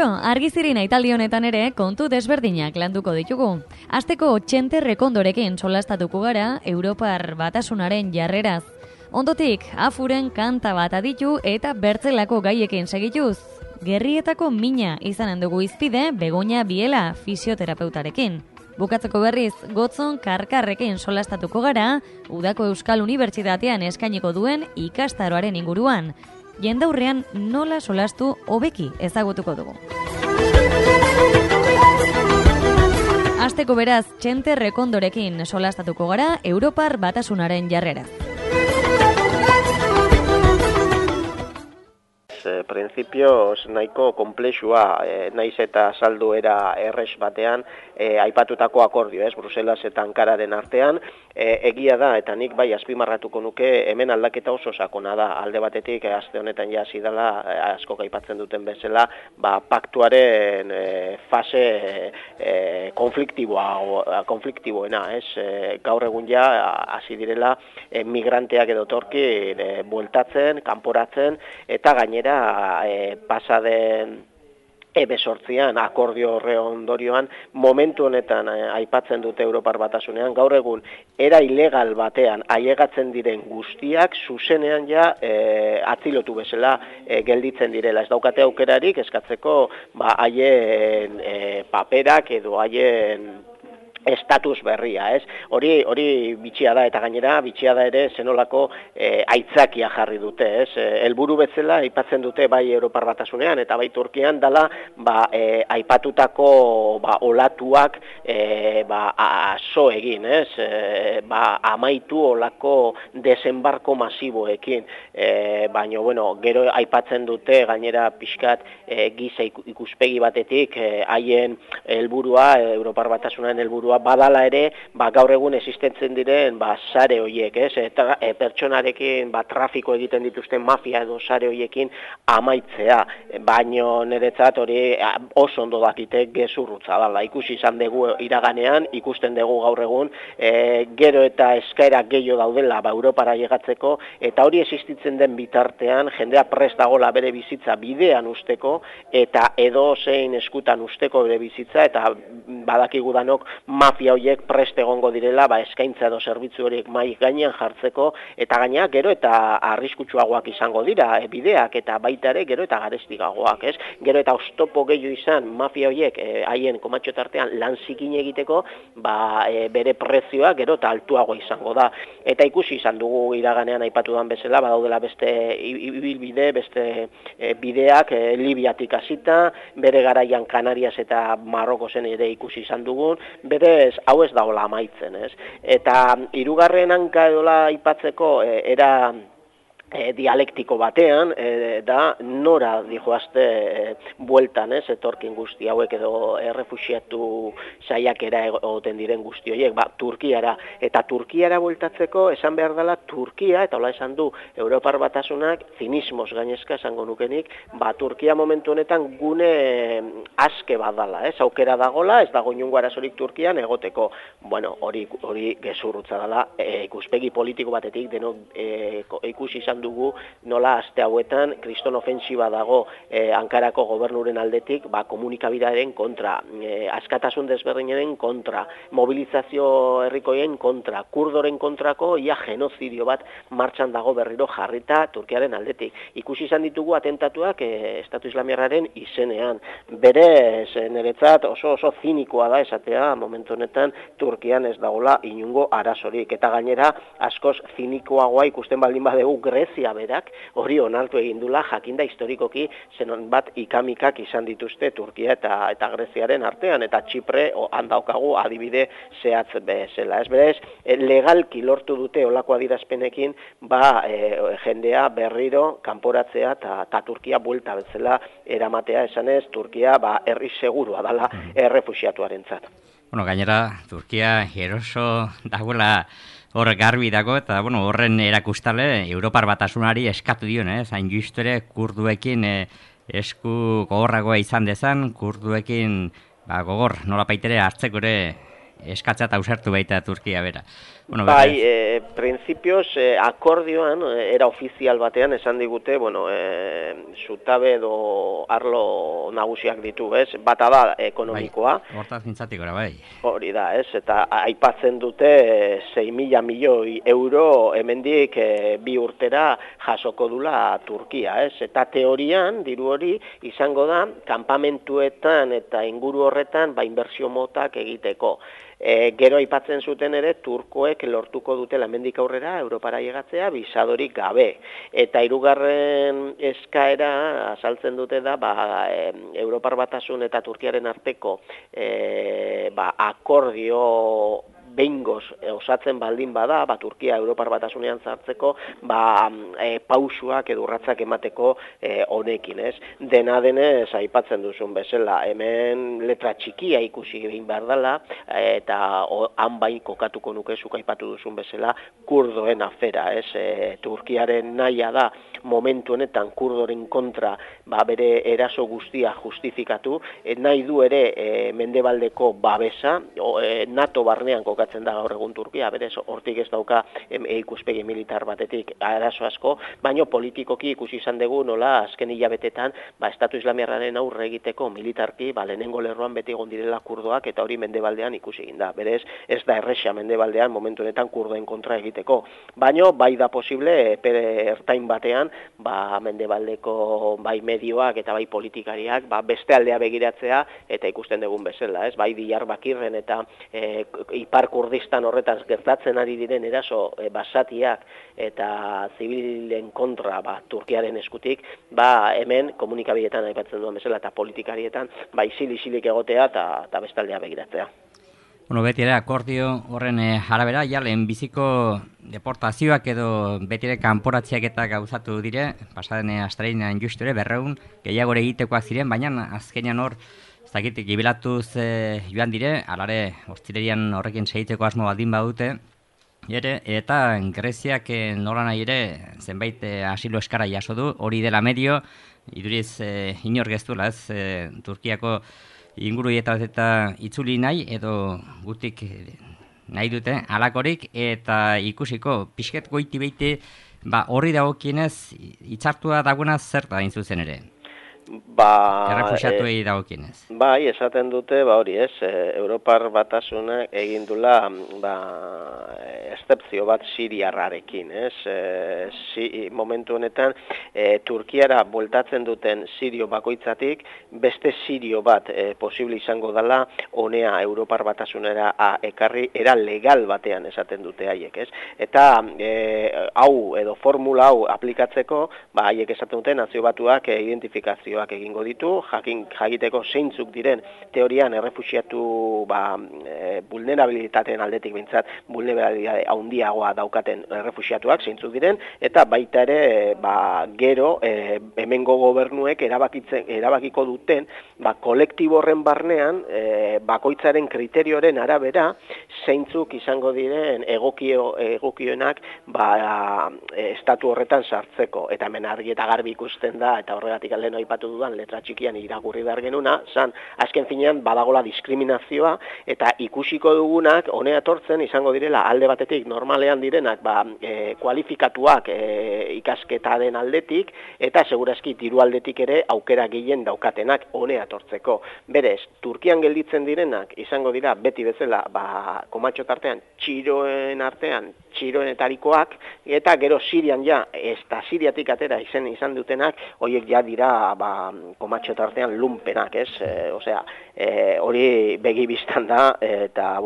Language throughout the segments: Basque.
argizirina italdi honetan ere kontu desberdinak landuko ditugu. Asteko Txente Rekondorekin solastatuko gara Europar Batasunaren jarreraz. Ondotik, Afuren kanta bat aditu eta bertzelako gaiekin segituz. Gerrietako mina izanen dugu izpide Begoña Biela fisioterapeutarekin. Bukatzeko berriz, Gotzon Karkarrekin solastatuko gara, Udako Euskal Unibertsitatean eskainiko duen ikastaroaren inguruan. Jendaurrean nola solastu hobeki ezagutuko dugu. Asteko beraz, Txente Rekondorekin solastatuko gara Europar Batasunaren jarrera. Printzipioz nahiko konplexua, naiz eta saldu era erres batean, aipatutako akordio, Bruselas eta Ankararen artean, egia da, eta nik bai azpimarratuko nuke, hemen aldaketa oso sakona da, alde batetik, aste honetan ja hasi dela, askok aipatzen duten bezala, paktuaren fase konfliktiboena, gaur egun ja hasi direla migranteak edo torki bueltatzen, kanporatzen, eta gainera pasaden ebesortzian, akordio horre ondorioan, momentu honetan aipatzen dute Europar Batasunean, gaur egun, era ilegal batean ailegatzen diren guztiak, zuzenean ja atzilotu bezala gelditzen direla. Ez daukate aukerarik eskatzeko haien paperak edo haien estatus berria, Hori bitxia da, eta gainera bitxia da ere zenolako aitzakia jarri dute, helburu bezala aipatzen dute bai Europar Batasunean eta bai Turkian dela aipatutako olatuak aso egin, amaitu olako desembarko masiboekin, baina gero aipatzen dute gainera pixkat giza ikuspegi batetik haien helburua, Europar Batasunaren helburua badala ere, gaur egun existentzen diren sare horiek, eta pertsonarekin trafiko egiten dituzten mafia edo sare horiekin amaitzea, baino niretzat hori oso ondo dakite gezurrutza dala. Ikusi izan dugu iraganean, ikusten dugu gaur egun, gero eta eskaera gehiago daudela Europara llegatzeko, eta hori existitzen den bitartean, jendea prest dagola bere bizitza bidean usteko, eta edo zein eskutan usteko bere bizitza, eta badakigu danok mafia horiek prest egongo direla, eskaintza edo zerbitzu horiek mai gainean jartzeko, eta gaina gero eta arriskutsuagoak izango dira, bideak eta baita ere gero eta garestigagoak, Gero eta oztopo gehiago izan mafia horiek haien komatxo tartean lan zikin egiteko, bere prezioa gero eta altuago izango da. Eta ikusi izan dugu iraganean aipatudan bezala, badaudela beste ibilbide, beste bideak Libiatik hasita, bere garaian Kanarias eta Marrokozen ere ikusi izan dugun, berez hau ez daola amaitzen, Eta hirugarren hanka edola aipatzeko era dialektiko batean, da nora dijoazte bueltan, etorkin guzti hauek edo errefuxiatu saiakera egoten diren guzti horiek, Turkiara. Eta Turkiara bueltatzeko esan behar dela Turkia, eta hola esan du Europar Batasunak, zinismoz gainezka esango nukenik, Turkia momentu honetan gune aske bat dala, aukera dagola, ez dago inungo arazorik Turkian egoteko. Hori gezurrutza dela, ikuspegi politiko batetik, denok ikusi izan dugu nola aste hauetan kriston ofensiba dago Ankarako gobernuren aldetik komunikabidaren kontra, askatasun desberdinaren kontra, mobilizazio herrikoien kontra, kurdoren kontrako genozidio bat martxan dago berriro jarrita Turkiaren aldetik. Ikusi izan ditugu atentatuak Estatu Islamiarraren izenean. Berez, niretzat oso zinikoa da esatea momentu honetan Turkian ez dagoela inungo arazorik, eta gainera askoz zinikoagoa ikusten baldin badegu Grezia berak hori onartu egin dula, jakinda historikoki zenon bat ikamikak izan dituzte Turkia eta Greziaren artean, eta Txipre handaukagu adibide zehatz bezala. Berez, legalki lortu dute olako adirazpenekin jendea berriro kanporatzea eta Turkia buelta bezala eramatea, esanez Turkia herri segurua dala errefuxiatuarentzat. Gainera, Turkia eroso dagoela hor garbi dago, eta horren erakustale Europar Batasunari eskatu dion, hain justu ere kurduekin esku gogorragoa izan dezan, kurduekin gogor nolapaitere hartzeko ere eskatzea eta ausartu baita Turkia bera. Bueno, bai, printzipioz, akordioan, era ofizial batean esan digute, zutabe edo arlo nagusiak ditu, ez? Bata da ekonomikoa. Bai, hortaz mintzatik gora, bai. Hori da, ez? Eta aipatzen dute 6.000 milioi euro hemendik 2 urtera jasoko dula Turkia, ez? Eta teorian, diru hori, izango da, kanpamentuetan eta inguru horretan, inbertsio motak egiteko. Gero aipatzen zuten ere, turkoek lortuko dutela hemendik aurrera Europara llegatzea bisadorik gabe. Eta hirugarren eskaera azaltzen dute da, Europar Batasun eta Turkiaren arteko akordio behingoz osatzen baldin bada, Turkia Europar Batasunean sartzeko, pausuak edo urratsak emateko honekin, ez? Dena denez aipatzen duzun bezala, hemen letra txikia ikusi egin behar dela, eta han bai kokatuko nukezuk aipatu duzun bezala, kurdoen afera, ez? Turkiaren nahia da, momentu honetan kurdoren kontra bere eraso guztia justifikatu, nahi du ere mendebaldeko babesa, NATO barnean kokatzen da gaur egun Turkia, berez hortik ez dauka ikuspegi militar batetik arazo asko, baino politikoki ikusi izan dugu nola azken hilabetetan Estatu Islamiarraren aurre egiteko militarki lehenengo lerroan beti egon direla kurdoak eta hori mendebaldean ikusi egin da. Berez ez da erresa mendebaldean momentu honetan kurdoen kontra egiteko. Baino bai da posible ertain batean mendebaldeko bai medioak eta bai politikariak beste aldea begiratzea eta ikusten dugun bezala, ez? Bai Diyarbakirren eta Ipar Kurdistan horretaz gertatzen ari diren eraso basatiak eta zibilen kontra Turkiaren eskutik, hemen komunikabideetan aipatzen duen bezala eta politikarietan isil-isilik egotea eta bestaldea begiratzea. Bueno, beti ere akordio horren arabera, lehenbiziko deportazioak edo beti ere kanporatziak eta gauzatu dire, pasaden astreinean justu ere 200 gehiagore egitekoak ziren, baina azkenean hor ez dakit, gibilatuz joan dire, alare, ostirerian horrekin segiteko asmo baldin badute, eta Greziak nola nahi ere zenbait asilo eskara jaso du, hori dela medio, iduriz inor geztuela, ez, Turkiako inguru eta itzuli nahi, edo gutik nahi dute, alakorik, eta ikusiko, pixket goiti beite, horri dagokienez, itzartua dagoena zer da zuzen ere? Errefuxiatuei dagokienez. Bai, esaten dute, hori ez, Europar Batasunak egin dula eszepzio bat siriarrarekin, ez? Momentu honetan, Turkiara bueltatzen duten sirio bakoitzatik, beste sirio bat posible izango dela honea Europar Batasunera ekarri, era legal batean esaten dute haiek, ez? Eta hau edo formula hau aplikatzeko, haiek esaten dute Nazio Batuak identifikazioak egingo ditu, jakiteko zeintzuk diren teorian errefuxiatu vulnerabilitateen aldetik bintzat vulnerabilitate handiagoa daukaten errefuxiatuak zeintzuk diren, eta baita ere gero hemengo gobernuek erabakiko duten kolektibo horren barnean bakoitzaren kriterioren arabera zeintzuk izango diren egokioenak estatu horretan sartzeko, eta hemen argi eta garbi ikusten da, eta horregatik lehen aipatu dudan letra txikian irakurri behar genuna, azken finean badagola diskriminazioa, eta ikusiko dugunak honea etortzen izango direla alde batetik normalean direnak kualifikatuak ikasketaren aldetik, eta segurazki diru aldetik ere aukera gehien daukatenak honea etortzeko. Berez, Turkian gelditzen direnak izango dira beti bezala komatxo tartean, txiroenetarikoak, eta gero Sirian eta Siriatik atera izan dutenak, horiek dira komatxo tartean lumpenak, ez? Osea, hori begi biztan da, eta,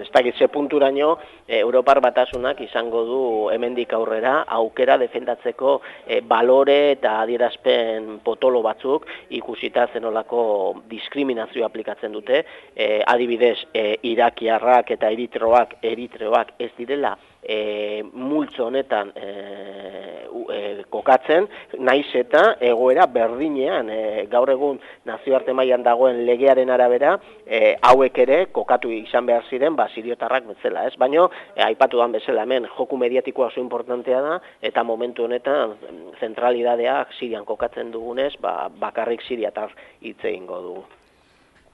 ez dakit ze punturaino, Europar Batasunak izango du hemendik aurrera aukera defendatzeko balore eta adierazpen potolo batzuk ikusita zenolako diskriminazio aplikatzen dute, adibidez, irakiarrak eta eritreoak ez direla multzo honetan kokatzen, naiz eta egoera berdinean gaur egun nazioarte mailan dagoen legearen arabera hauek ere kokatu izan behar ziren siriotarrak bezala, ez? Baino aipatu dan bezala hemen joku mediatikoa oso importantea da eta momentu honetan zentralidadeak Sirian kokatzen dugunez, bakarrik siriatar hitz egingo dugu.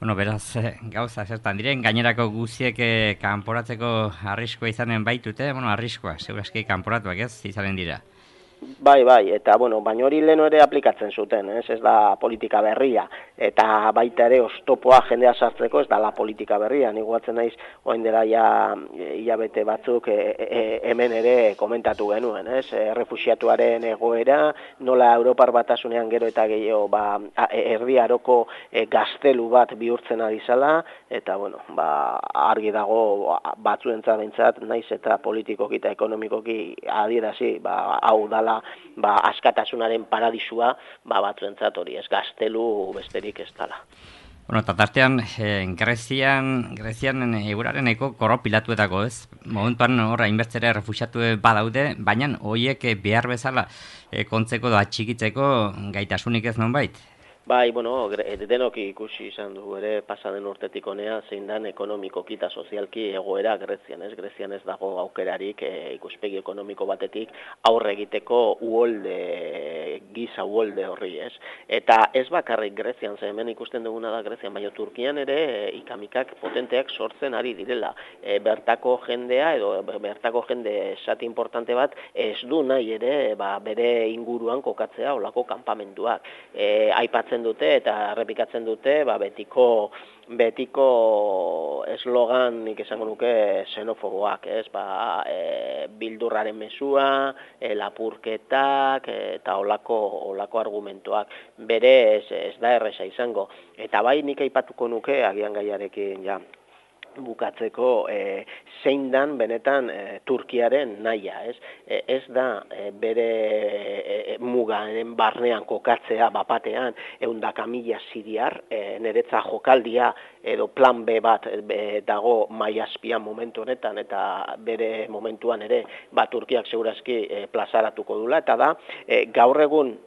Bueno, beraz, gauza zertan diren, gainerako guziek kanporatzeko arriskoa izanen baitute, bueno, arriskoa, segurazki kanporatuak izanen dira. Bai, eta baina hori lehen ere aplikatzen zuten, ez da politika berria, eta baita ere oztopoa jendea sartzeko ez da la politika berria, nik guatzen naiz orain dela hilabete batzuk hemen ere komentatu genuen, errefuxiatuaren egoera, nola Europar Batasunean gero eta gehiago Erdi Aroko gaztelu bat bihurtzen ari zala, eta argi dago batzuentzat behintzat, naiz eta politikoki eta ekonomikoki adierazi, hau dala askatasunaren paradisua, batzuentzat hori ez gaztelu besterik ez dala. Bueno, eta tartean, Grezian euraren eko korropilatuetako, ez? Momentuan horra inbertzera refuxiatu badaude, baina horiek behar bezala kontzeko da atxikitzeko gaitasunik ez nonbait? Bai, denok ikusi izan dugu ere pasaden urtetik honea zein dan ekonomikoki eta sozialki egoera Grezian, ez? Grezian ez dago aukerarik ikuspegi ekonomiko batetik aurre egiteko giza uholde horri, ez? Eta ez bakarrik Grezian, ze hemen ikusten duguna da Grezian, baina Turkian ere ikamikak potenteak sortzen ari direla. Bertako jendea edo bertako jende esati importante bat ez du nahi ere bere inguruan kokatzea olako kanpamentuak. Aipatzen dute eta errepikatzen dute betiko eslogan nik esango nuke xenofoboak, ez? Bildurraren mezua, lapurketak eta olako argumentoak. Berez ez da erresa izango. Eta bai nik aipatuko nuke agian gaiarekin bukatzeko zein dan benetan Turkiaren nahia, ez? Ez da bere mugaren barnean kokatzea bapatean 100.000 siriar, niretza jokaldia edo plan B bat dago maiazpian momentu honetan eta bere momentuan ere Turkiak segurazki plazaratuko dula, eta da gaur egun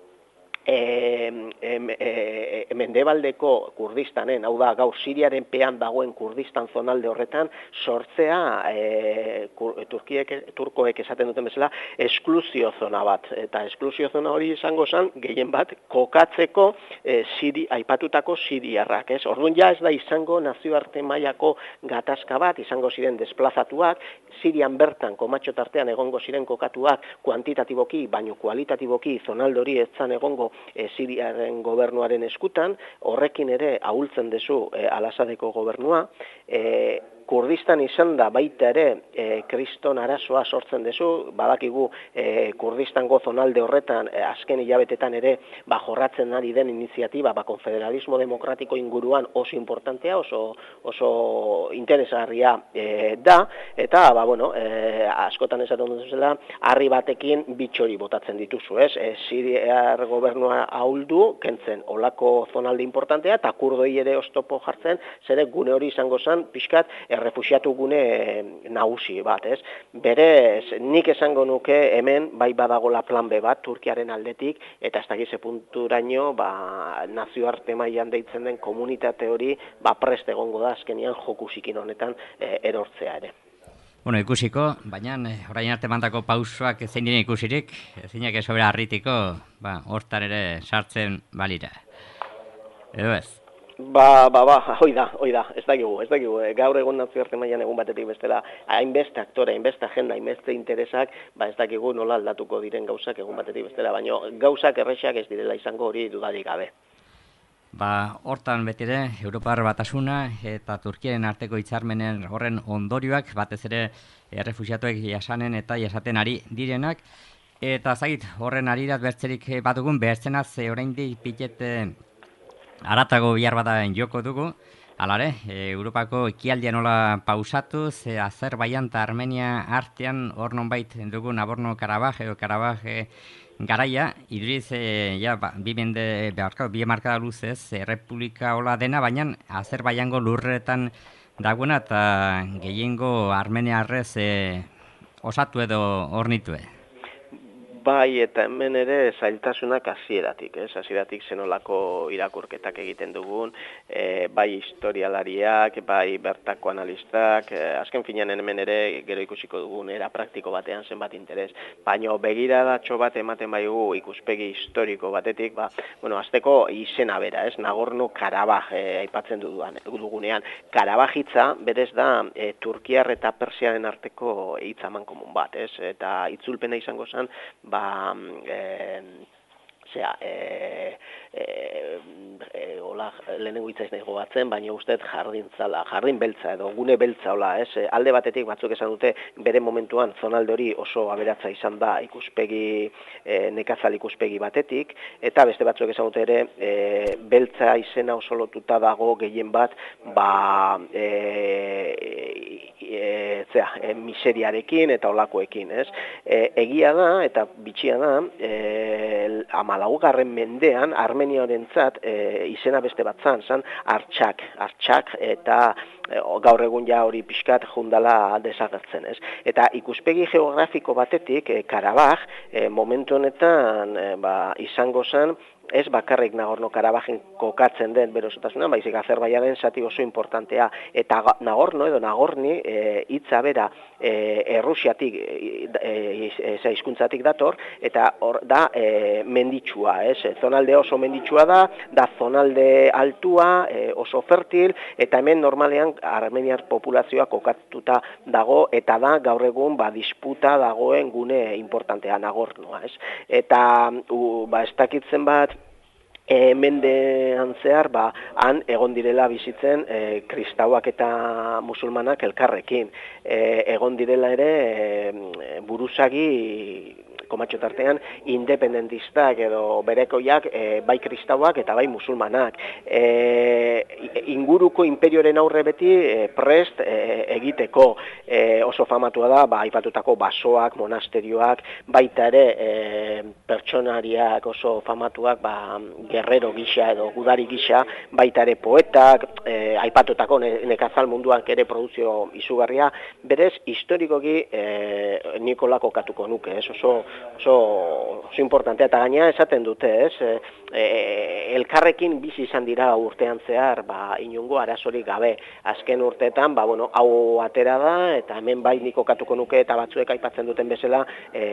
mendebaldeko Kurdistanen, hau da gaur Siriaren pean dagoen Kurdistan zonalde horretan sortzea turkoek esaten duten bezala esklusio zona bat, eta esklusio zona hori izango zen gehien bat kokatzeko aipatutako siriarrak, ez? Orduan ja ez da izango nazioarte mailako gatazka bat, izango ziren desplazatuak, Sirian bertan komatxo tartean egongo ziren kokatuak kuantitatiboki, baino kualitatiboki zonalde hori ez zan egongo Siriaren gobernuaren eskutan, horrekin ere ahultzen dezu Al-Asadeko gobernua, Kurdistan izan da baita ere kriston arazoa sortzen dezu, badakigu Kurdistango zonalde horretan azken hilabetetan ere jorratzen ari den iniziatiba konfederalismo demokratiko inguruan oso importantea, oso interesgarria da, eta askotan esaten dut zela, harri batekin bitxori botatzen dituzu, ez? Siriar gobernua ahuldu, kentzen olako zonalde importantea, eta kurdoi ere oztopo jartzen, zere gune hori izango zen, pixkat, errefuxiatu gune nagusi bat, ez? Berez, nik esango nuke hemen bai badagola plan B bat Turkiaren aldetik, eta ez dakize punturaino nazioarte mailan deitzen den komunitate hori prest egongo da azkenian jokusikin honetan erortzea ere. Bueno, ikusiko, baina orain arte mandako pausoak zein diren ikusirik, zeinak esobera harritiko, hortan ere sartzen balira. Edo ez? Hoi da, ez dakigu, gaur egun nazioarte mailan egun batetik bestela, hainbeste aktore, hainbeste agenda, hainbeste interesak, ez dakigu nola aldatuko diren gauzak egun batetik bestela, baina gauzak errexak ez direla izango hori dudarik gabe. Hortan betire, Europar Batasuna eta Turkiaren arteko hitzarmenen horren ondorioak, batez ere errefuxiatuek jasanen eta jasaten ari direnak, eta zait horren arirat bertzerik badugun, bertzenaz oraindik pitet aratago bihar bada joko dugu, alare, Europako ekialdia nola pausatuz, Azerbaijan eta Armenia artean hor nonbait dugu Nagorno-Karabaj edo Karabaj garaia, iduriz, bi markada luzez, Republika hola dena, baina Azerbaijango lurretan dagoena eta gehiengo armeniarrez osatu edo ornitue. Bai, eta hemen ere zailtasunak hasieratik, hasieratik zenolako irakurketak egiten dugun, bai historialariak, bai bertako analistak, azken finean hemen ere gero ikusiko dugun era praktiko batean zenbat interes. Baina begiradatxo bat ematen baigu ikuspegi historiko batetik, azteko izena bera, Nagorno-Karabaj aipatzen dugunean. Karabaj hitza berez da Turkiar eta Persiaren arteko hitz amankomun bat, eta itzulpena izango zen, lehenengo hitza ez nahi gogatzen, baina uste jardin beltza edo gune beltza, alde batetik batzuk esan dute bere momentuan zonalde hori oso aberatsa izan da ikuspegi, nekazal ikuspegi batetik, eta beste batzuk esan dute ere beltza izena oso lotuta dago gehien bat, miseriarekin eta olakoekin, egia da eta bitxia da, 14. mendean Armeniarentzat izena beste bat zan Artxak eta gaur egun ja hori pixkat jundala desagertzen, Eta ikuspegi geografiko batetik Karabaj momentu honetan izango zen ez bakarrik Nagorno-Karabajen kokatzen den berosotasunan, baizik Azerbaijanen zati oso importantea. Eta Nagorno edo Nagorni hitza bera Errusiatik, hizkuntzatik dator, eta hor da menditsua, zonalde oso menditsua da zonalde altua, oso fertil, eta hemen normalean armeniar populazioa kokatuta dago, eta da gaur egun disputa dagoen gune importantea Nagornoa, Eta ez dakitzen bat, mendean zehar, han egon direla bizitzen kristauak eta musulmanak elkarrekin. Egon direla ere buruzagi komatxo tartean independentistak edo berekoiak bai kristauak eta bai musulmanak. Inguruko imperioren aurre beti prest egiteko oso famatua da, aipatutako basoak, monasterioak, baita ere pertsonariak oso famatuak, guerrero gisa edo gudari gisa, baita ere poetak, aipatutako nekazal munduak ere produzio izugarria, berez historikoki Nikola kokatuko nuke, oso importantea, eta gaina esaten dute, elkarrekin bizi izan dira urtean zehar, inongo arazorik gabe, azken urteetan, hau atera da, eta hemen bai nik kokatuko nuke, eta batzuek aipatzen duten bezala,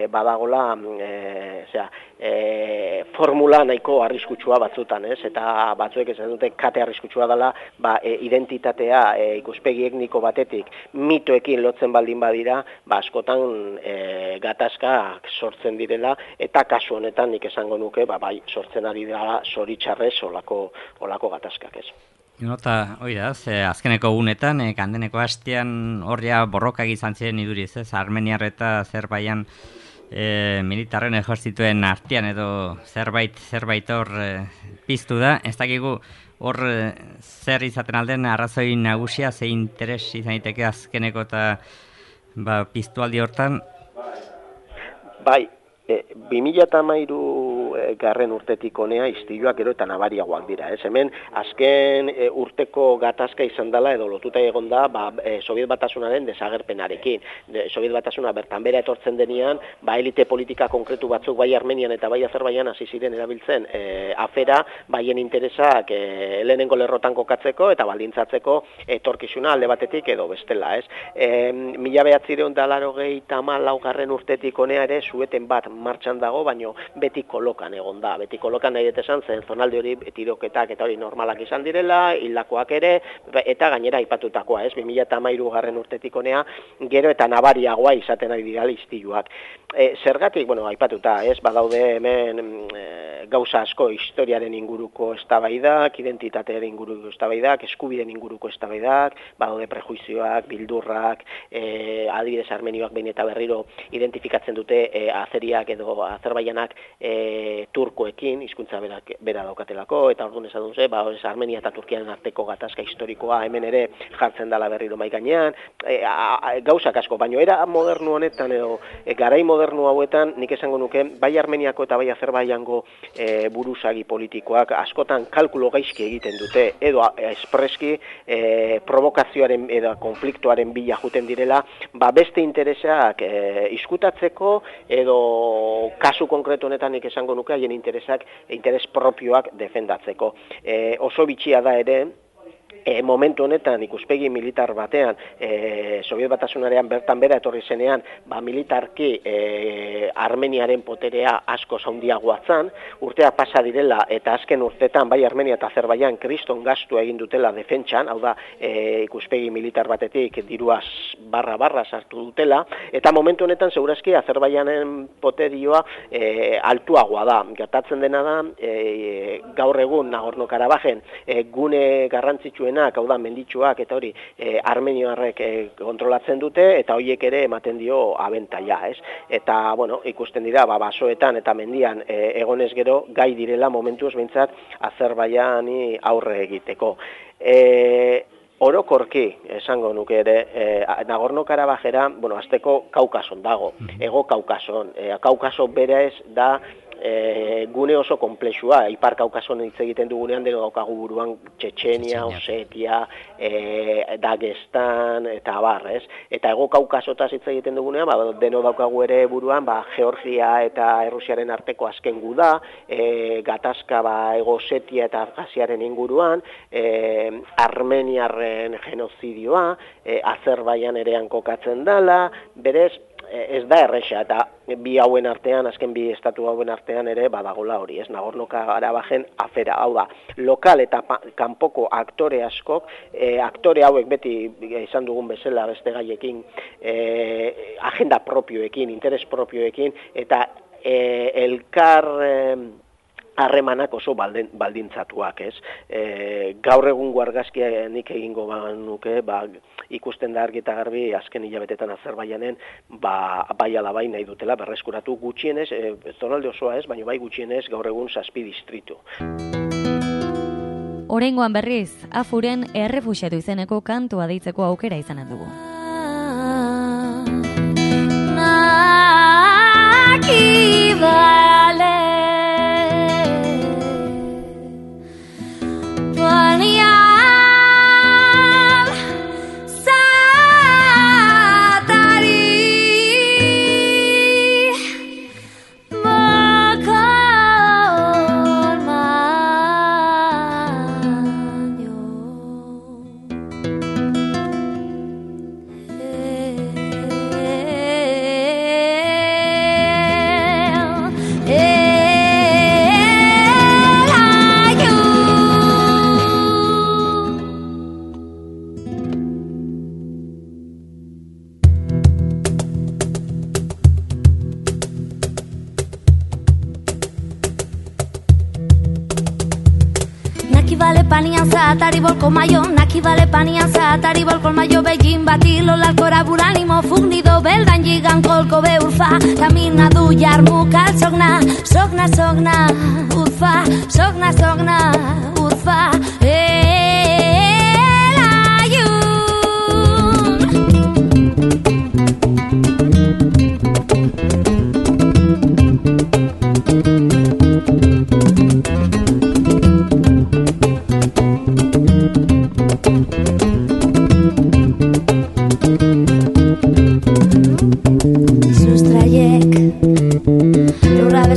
badagola, formula nahiko arriskutsua batzutan, eta batzuek esan dute kate arriskutsua dela, identitatea ikuspegi etniko batetik mitoekin lotzen baldin badira, askotan gatazkak sortzen direla, eta kasu honetan nik esango nuke, bai sortzen ari dira zoritxarrez olako gatazkak, Eta, hori da, azkeneko gunetan, kandeneko hastean horria borrokak izan ziren iduriz, Armeniar eta Azerbaijan militarren ejertzituen artean edo zerbait hor piztu da. Ez dakigu hor zer izaten alden arrazoi nagusia, ze interes izan daiteke azkeneko eta piztualdi hortan? Bai, 2013 garren urtetik honea istiluak gero eta nabariagoak dira. Hemen azken urteko gatazka izan dela edo lotuta egon da Sobiet Batasunaren desagerpenarekin. Sobiet Batasuna bertan bera etortzen denean, elite politika konkretu batzuk bai Armenian eta bai Azerbaijan hasi ziren erabiltzen afera, baien interesak lehenengo lerrotan kokatzeko eta baldintzatzeko etorkizuna alde batetik edo bestela. 1994 garren urtetik honea ere sueten bat martxan dago, baino beti kolokan egon da. Beti kolokan nahi esan zen zonalde hori tiroketak eta hori normalak izan direla, hildakoak ere, eta gainera aipatutakoa, 2013 garren urtetik honea, gero eta nabariagoa izaten ari dira istiluak. Zergatik, aipatuta, badaude hemen gauza asko historiaren inguruko eztabaidak, identitatearen inguruko eztabaidak, eskubideen inguruko eztabaidak, badaude prejuizioak, bildurrak, adibidez armenioak behin eta berriro identifikatzen dute azeriak edo Azerbaijanak turkoekin, hizkuntza bera daukatelako, eta orduan esan duze, Armenia eta Turkiaren arteko gatazka historikoa hemen ere jartzen dela berriro mai gainean, gauzak asko, baino era modernu honetan edo garai modernu hauetan nik esango nuke, bai Armeniako eta bai Azerbaijango buruzagi politikoak askotan kalkulo gaizki egiten dute, edo espreski provokazioaren edo konfliktuaren bila juten direla, beste interesak izkutatzeko edo kasu konkretu honetan nik esango nuke haien interes propioak defendatzeko. Oso bitxia da ere, momentu honetan ikuspegi militar batean, Sobiet Batasunarean bertan bera etorri zenean, militarki Armeniaren poterea asko handiagoa zen, urtea pasa direla eta azken urtetan bai Armenia eta Azerbaijan kriston gastu egin dutela defentsan, hau da ikuspegi militar batetik diruaz barra sartu dutela, eta momentu honetan segurazki Azerbaijanen poterioa altuagoa da. Gertatzen dena da, gaur egun Nagorno-Karabajen gune garrantzitsuen hau da menditsuak eta hori armenioarrek kontrolatzen dute eta horiek ere ematen dio abentaia, ez? Eta, ikusten dira, basoetan eta mendian egonez gero gai direla momentuz behintzat Azerbaiani aurre egiteko. Orokorki, esango nuke ere, Nagorno-Karabajera, azteko Kaukason dago, Ego Kaukason. Kaukaso berez da gune oso komplexua, Ipar Kaukason hitz egiten dugunean deno daukagu buruan Txetxenia, Osetia, Dagestan eta abar, ez? Eta Ego Kaukasotaz hitz egiten dugunean, deno daukagu ere buruan, Georgia eta Errusiaren arteko azken guda, gatazka Ego Osetia eta Abjaziaren inguruan, Armeniarren genozidioa, Azerbaijan ere kokatzen dela, berez, ez da erresa, eta bi hauen artean, azken bi estatu hauen artean ere badagola hori, ez? Nagorno-Karabajen afera, hau da, lokal eta kanpoko aktore askok, aktore hauek beti izan dugun bezala beste gaiekin, agenda propioekin, interes propioekin, eta elkar harremanak oso baldintzatuak, ez? Gaur egungo argazkia nik egingo nuke, ikusten da argi eta garbi azken hilabetetan Azerbaijanen bai ala bai nahi dutela berreskuratu gutxienez, zonalde osoa ez, baina bai gutxienez gaur egun 7 distritu. Oraingoan berriz, Afuren errefuxiatu izeneko kantua deitzeko aukera izanen dugu. Atari bolko maio, naki bale panian za atari bolko maio begin bati lola korabur animo fugnido beldan gigan kolko beurfa camina du jarmuka sogna urfa sogna urfa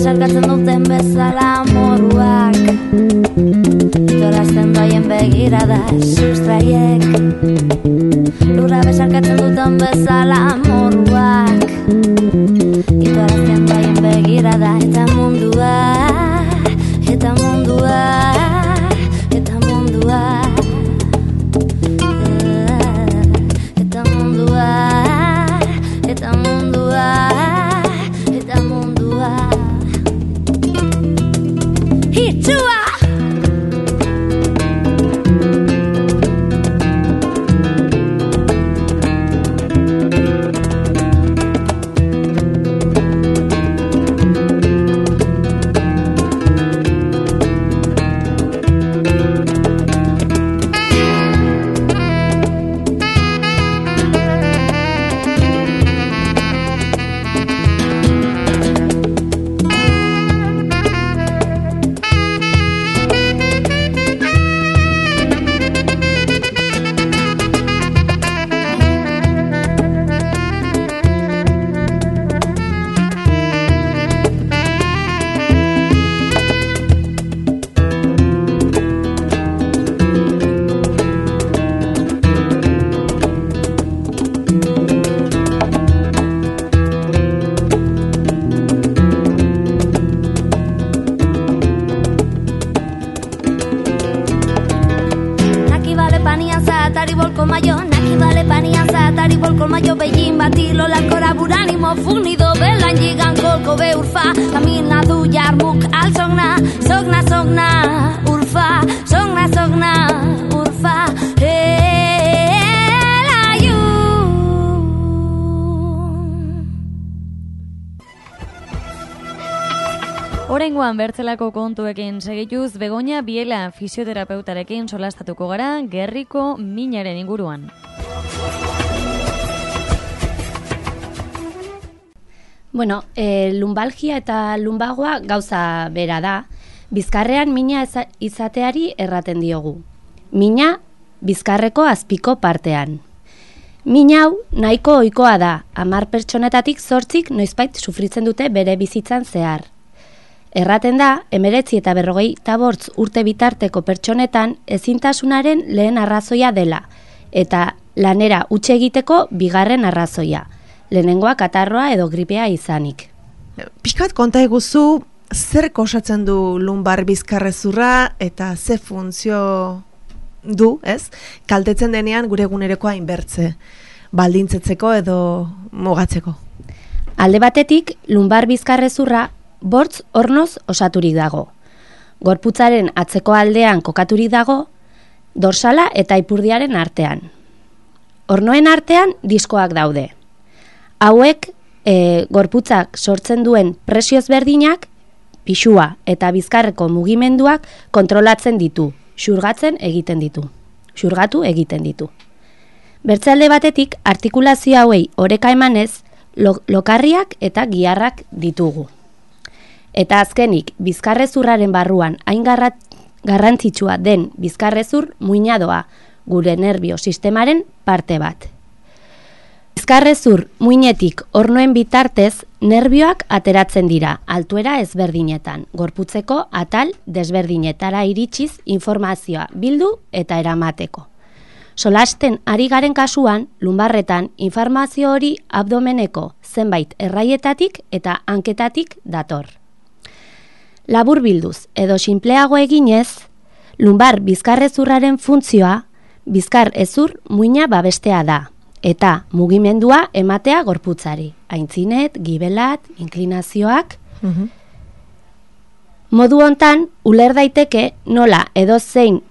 Sarkatzen duten bezala moruak Itorazten doaien begirada sustraiek Lurra besarkatzen duten bezala moruak Itorazten doaien begirada Eta mundua Eta mundua Eta mundua Eta mundua Eta mundua Eta mundua Hitua! batilo la coraburanimo fugnido belan gigan kolko be urfa camina du jarmuk al sogna urfa sogna urfa Oraingoan bertzelako kontuekin segituz Begoña Biela fisioterapeutarekin solastatuko gara gerriko minaren inguruan. Bueno, lumbalgia eta lumbagoa gauza bera da. Bizkarrean mina izateari erraten diogu. Mina bizkarreko azpiko partean. Min hau nahiko ohikoa da, 10 pertsonetatik 8 noizbait sufritzen dute bere bizitzan zehar. Erraten da, 19 eta 45 urte bitarteko pertsonetan ezintasunaren lehen arrazoia dela, eta lanera huts egiteko bigarren arrazoia, lehenengoa katarroa edo gripea izanik. Pixkat konta eguzu, zer osatzen du lumbar bizkarrezurra eta ze funtzio du, ez? Kaltetzen denean gure egunerokoa inbertze, baldintzetzeko edo mugatzeko. Alde batetik, lumbar bizkarrezurra 5 ornoz osaturik dago. Gorputzaren atzeko aldean kokaturik dago, dorsala eta ipurdiaren artean. Ornoen artean diskoak daude. Hauek gorputzak sortzen duen presio ezberdinak, pisua eta bizkarreko mugimenduak kontrolatzen ditu, xurgatu egiten ditu. Bertze batetik, artikulazio hauei oreka emanez, lokarriak eta giharrak ditugu. Eta azkenik, bizkarrezurraren barruan hain garrantzitsua den bizkarrezur muina doa, gure nerbio sistemaren parte bat. Bizkarrezur muinetik ornoen bitartez, nerbioak ateratzen dira, altuera ezberdinetan, gorputzeko atal desberdinetara iritsiz informazioa bildu eta eramateko. Solasten ari garen kasuan, lumbarretan informazio hori abdomeneko zenbait erraietatik eta hanketatik dator. Labur bilduz edo sinpleago eginez, lumbar bizkarrezurraren funtzioa bizkar hezur muina babestea da, eta mugimendua ematea gorputzari, aintzinet, gibelat, inklinazioak. Modu hontan, uler daiteke nola edozein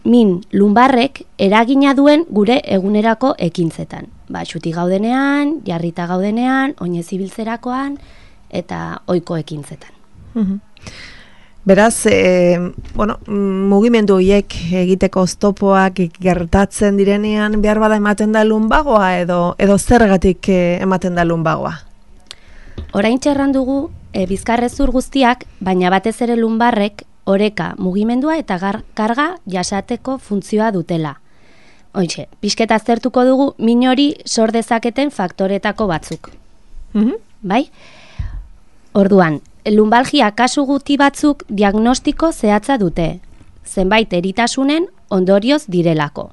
min lumbarrek eragina duen gure egunerako ekintzetan. Xuti gaudenean, jarrita gaudenean, oinez ibiltzerakoan eta ohiko ekintzetan. Beraz, mugimendu horiek egiteko oztopoak gertatzen direnean behar bada ematen da lumbagoa edo zergatik ematen da lumbagoa? Oraintxe errandugu bizkarrezur guztiak, baina batez ere lumbarrek oreka mugimendua eta karga jasateko funtzioa dutela. Hoitxe, pixket aztertuko dugu min hori sor dezaketen faktoretako batzuk. Bai? Orduan, lumbalgia kasu guti batzuk diagnostiko zehatza dute, zenbait eritasunen ondorioz direlako.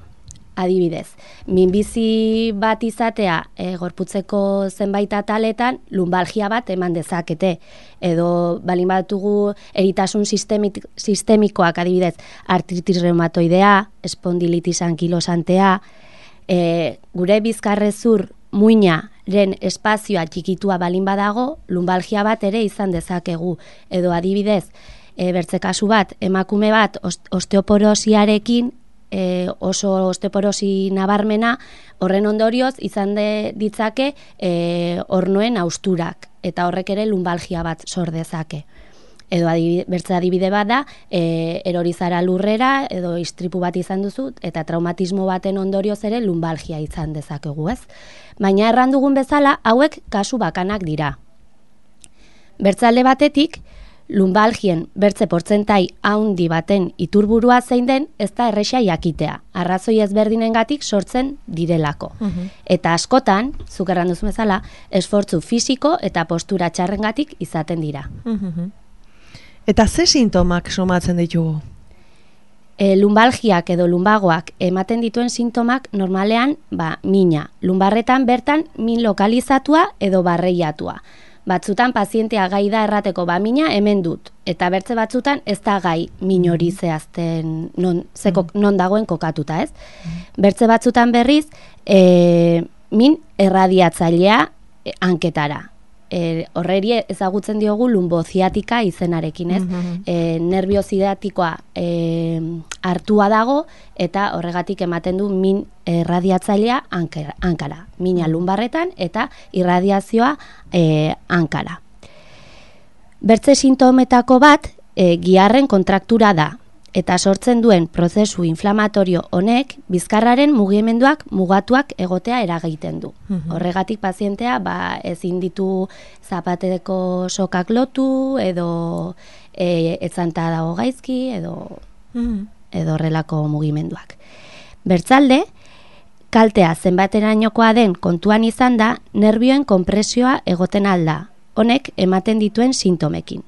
Adibidez, minbizi bat izatea gorputzeko zenbait ataletan lumbalgia bat eman dezakete, edo balin batugu eritasun sistemikoak, adibidez, artritis reumatoidea, espondilitis ankilosantea, gure bizkarrezur muinaren espazioa txikitua balin badago, lumbalgia bat ere izan dezakegu. Edo adibidez, bertze kasu bat, emakume bat osteoporosiarekin, oso osteoporosi nabarmena, horren ondorioz izan ditzake ornoen hausturak, eta horrek ere lumbalgia bat sor dezake. Edo bertze adibide bat da, erorizara lurrera, edo istripu bat izan duzu, eta traumatismo baten ondorioz ere lumbalgia izan dezakegu, ez? Baina errandugun bezala, hauek kasu bakanak dira. Bertzalde batetik, lumbalgien bertze portzentai haundi baten iturburua zein den, ez da erresa jakitea, arrazoi ezberdinengatik sortzen direlako. Eta askotan, zuk erranduzun bezala, esfortzu fisiko eta postura txarrengatik izaten dira. Eta ze sintomak somatzen ditugu? Lumbalgiak edo lumbagoak ematen dituen sintomak normalean, mina. Lumbarretan bertan min lokalizatua edo barreiatua. Batzutan pazientea gai da errateko mina hemen dut, eta bertze batzutan ez da gai min hori zehazten non dagoen kokatuta, ez? Bertze batzutan berriz, min erradiatzailea hanketara. Horreri ezagutzen diogu lumboziatika izenarekin, ez? Nerviozidatikoa hartua dago eta horregatik ematen du min erradiatzailea hankara. Mina lumbarretan eta irradiazioa hankara. Bertze sintometako bat giharren kontraktura da. Eta sortzen duen prozesu inflamatorio honek bizkarraren mugimenduak mugatuak egotea eragiten du. Horregatik pazientea ezin ditu zapateko sokak lotu edo etzanta dago gaizki edo horrelako mugimenduak. Bertzalde, kaltea zenbaterainokoa den kontuan izan da nerbioen konpresioa egoten alda. Honek ematen dituen sintomekin.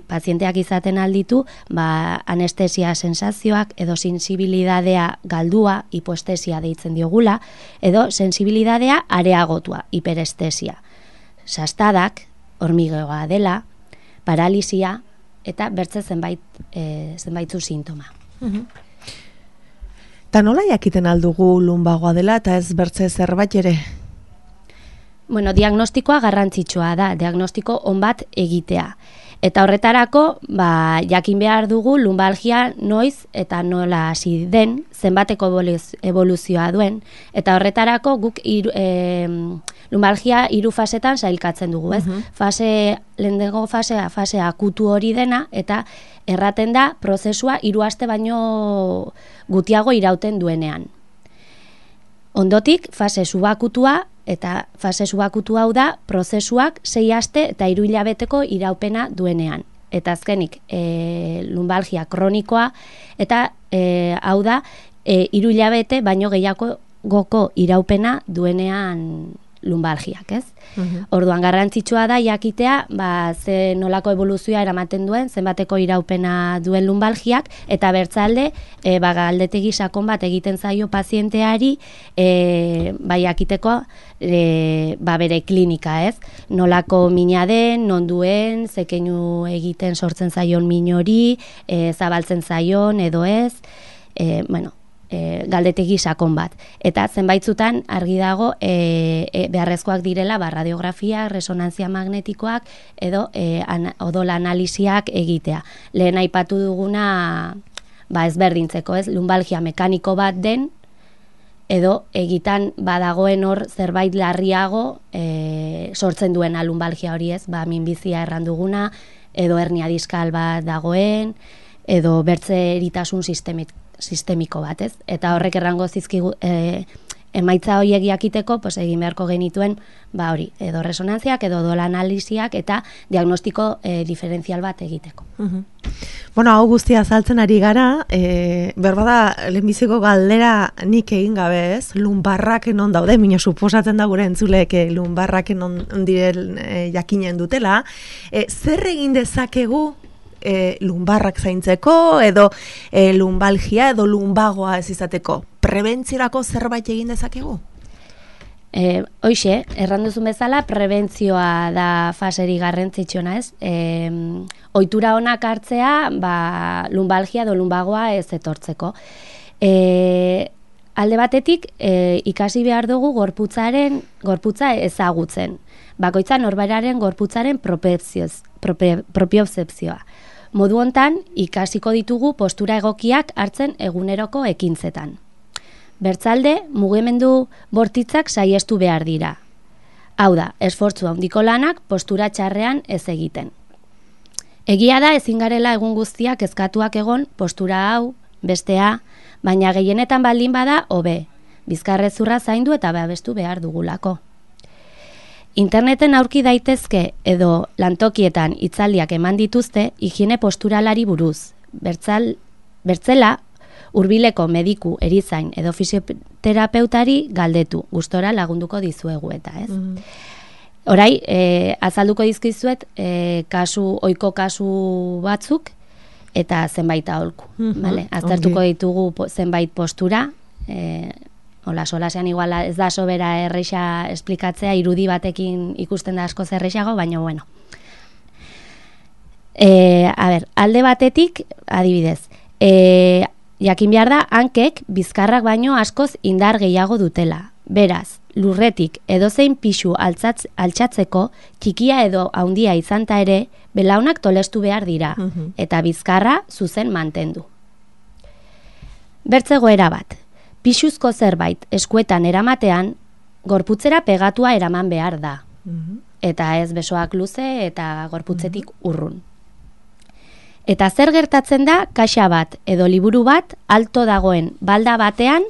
Pazienteak izaten alditu, anestesia sensazioak edo sensibilidadea galdua, hipoestesia deitzen diogula, edo sensibilidadea areagotua, hiperestesia. Sastadak, hormigoa dela, paralisia eta bertze zenbaitzu sintoma. Ta nola jakiten aldugu lumbagoa dela eta ez bertze zerbait ere? Diagnostikoa garrantzitsua da, diagnostiko on bat egitea. Eta horretarako, jakin behar dugu lumbalgia noiz eta nola hasi den, zenbateko evoluzioa duen, eta horretarako guk lumbalgia 3 fasetan sailkatzen dugu, ez? Lehenengo fase akutu hori dena, eta erraten da prozesua 3 aste baino gutiago irauten duenean. Ondotik, fase subakutua, eta fase subakutu hau da, prozesuak 6 aste eta 3 hilabeteko iraupena duenean. Eta azkenik, lumbalgia kronikoa, eta hau da, 3 hilabete baino gehiagoko iraupena duenean lumbalgiak, ez? Orduan garrantzitsua da jakitea, ze nolako evoluzioa eramaten duen, zenbateko iraupena duen lumbalgiak, eta bertzalde, galdetegi sakon bat egiten zaio pazienteari, jakiteko bere klinika, ez? Nolako mina den, non duen, zekeinu egiten sortzen zaion min hori, zabaltzen zaion edo ez, galdetegi sakon bat. Eta zenbaitzutan argi dago beharrezkoak direla radiografia, resonantzia magnetikoak edo odol analisiak egitea. Lehen aipatu duguna ezberdintzeko, ez? Lumbalgia mekaniko bat den edo egitan badagoen hor zerbait larriago sortzen duena lumbalgia hori, ez? Minbizia erranduguna edo hernia diskal bat dagoen edo bertze eritasun sistemiko bat, ez? Eta horrek errango zizkigu emaitza horiek jakiteko, egin beharko genituen, edo resonantziak, edo odol analisiak, eta diagnostiko diferentzial bat egiteko. Hau guztia azaltzen ari gara, berbada, lehenbiziko galdera nik egin gabe, ez? Lumbarrak non daude, mina suposatzen da gure entzuleek lumbarrak non diren jakinen dutela. Zer egin dezakegu lumbarrak zaintzeko edo lumbalgia edo lumbagoa ez izateko? Prebentziorako zerbait egin dezakegu? Hoxe, erranduzun bezala, prebentzioa da faseri garrantzitsuna, ez? Ohitura onak hartzea, lumbalgia edo lumbagoa ez etortzeko. Alde batetik, ikasi behar dugu gorputza ezagutzen. Bakoitza norberaren gorputzaren propiozepzioa. Modu hontan, ikasiko ditugu postura egokiak hartzen eguneroko ekintzetan. Bertzalde, mugimendu bortitzak saiestu behar dira. Hau da, esfortzu handiko lanak postura txarrean ez egiten. Egia da ezin garela egun guztiak kezkatuak egon postura hau, bestea, baina gehienetan baldin bada hobe, bizkarrezurra zaindu eta babestu behar dugulako. Interneten aurki daitezke edo lantokietan hitzaldiak eman dituzte higiene posturalari buruz. Bertzela, hurbileko mediku, erizain edo fisioterapeutari galdetu, gustora lagunduko dizuegu eta, ez? Orai, azalduko dizkizuet ohiko kasu batzuk eta zenbait aholku, bale? Aztertuko ditugu zenbait postura, solasean igual ez da sobera erresa esplikatzea, irudi batekin ikusten da asko zerrexago, baina bueno. Alde batetik, adibidez, jakin behar da, hankek bizkarrak baino askoz indar gehiago dutela. Beraz, lurretik edozein pisu altxatzeko, txikia edo handia izanta ere, belaunak tolestu behar dira, eta bizkarra zuzen mantendu. Bertzegoera bat, pisuzko zerbait eskuetan eramatean, gorputzera pegatua eraman behar da. Eta ez besoak luze eta gorputzetik urrun. Eta zer gertatzen da, kaxa bat edo liburu bat alto dagoen balda batean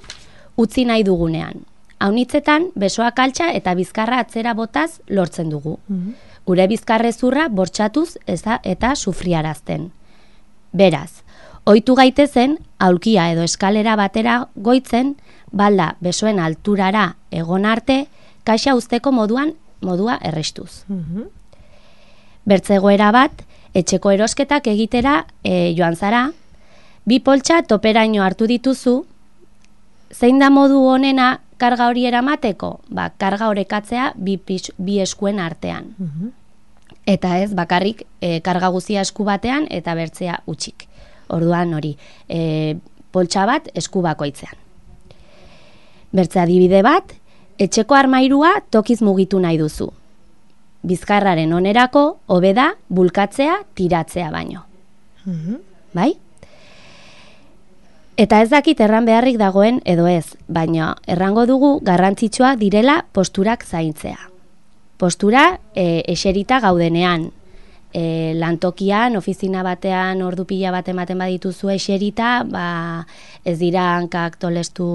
utzi nahi dugunean. Haunitzetan, besoak altxa eta bizkarra atzera botaz lortzen dugu. Gure bizkarrezurra bortxatuz eta sufriarazten. Beraz, ohitu gaitezen, aulkia edo eskalera batera goitzen, balda besoen alturara egon arte, kaxa usteko modua errestuz. Bertzegoera bat, etxeko erosketak egitera joan zara, bi poltsa toperaino hartu dituzu, zein da modu honena karga hori eramateko? Karga orekatzea bi eskuen artean. Eta ez bakarrik karga guzia esku batean eta bertzea utxik. Orduan hori, poltsa bat esku bakoitzean. Bertze adibide bat, etxeko armairua tokiz mugitu nahi duzu. Bizkarraren onerako, hobe da, bulkatzea, tiratzea baino. Bai? Eta ez dakit erran beharrik dagoen edo ez, baina errango dugu garrantzitsua direla posturak zaintzea. Postura eserita gaudenean, lantokian, ofizina batean, ordu pila bat ematen badituzu eserita, ez dira hankak tolestu,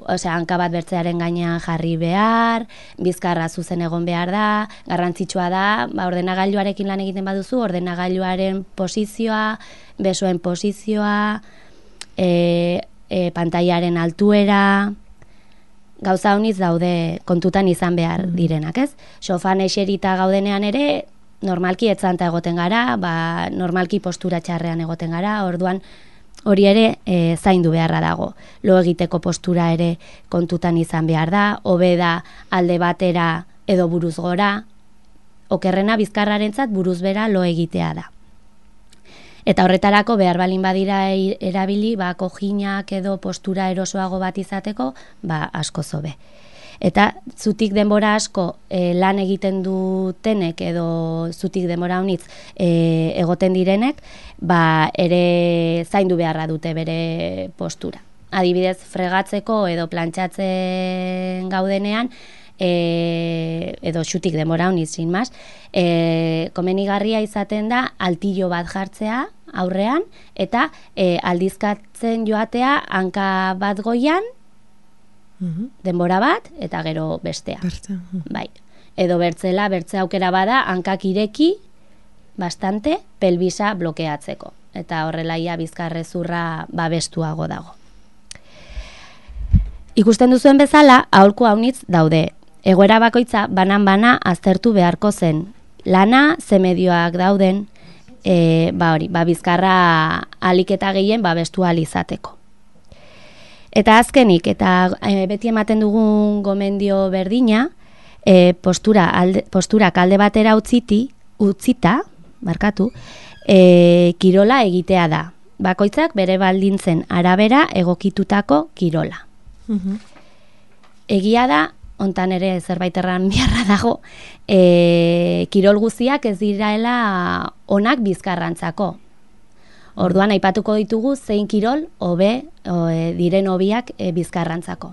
hanka bat bertzearen gainean jarri behar, bizkarra zuzen egon behar da, garrantzitsua da, ordenagailuarekin lan egiten baduzu, ordenagailuaren posizioa, besoen posizioa, pantailaren altuera, gauza honiz daude kontutan izan behar direnak, ez? Sofan eserita gaudenean ere, normalki etzanta egoten gara, normalki postura txarrean egoten gara, orduan hori ere zaindu beharra dago. Lo egiteko postura ere kontutan izan behar da, hobe da alde batera edo buruz gora, okerrena bizkarrarentzat buruz bera lo egitea da. Eta horretarako behar balin badira erabili, kojinak edo postura erosoago bat izateko, asko zobe. Eta zutik denbora asko lan egiten dutenek edo zutik denbora honitz egoten direnek, ere zaindu beharra dute bere postura. Adibidez, fregatzeko edo plantxatzen gaudenean, edo xutik denbora honitz, sin mas, komenigarria izaten da altillo bat jartzea aurrean, eta aldizkatzen joatea hanka bat goian, denbora bat, eta gero bestea. Bai. Edo bertze aukera bada, hankak ireki, bastante, pelbisa blokeatzeko. Eta horrelaia bizkarrezurra babestuago dago. Ikusten duzuen bezala, aholku haunitz daude. Egoera bakoitza banan-bana aztertu beharko zen. Lana, ze medioak dauden, bizkarra alik eta gehien babestu ahal izateko. Eta azkenik, eta beti ematen dugun gomendio berdina, posturak alde batera utzita, kirola egitea da. Bakoitzak bere baldintzen arabera egokitutako kirola. Egia da, hontan ere zerbait erran beharra dago, kirol guztiak ez diraela onak bizkarrantzako. Orduan aipatuko ditugu zein kirol hobe diren hobiak bizkarrantzako.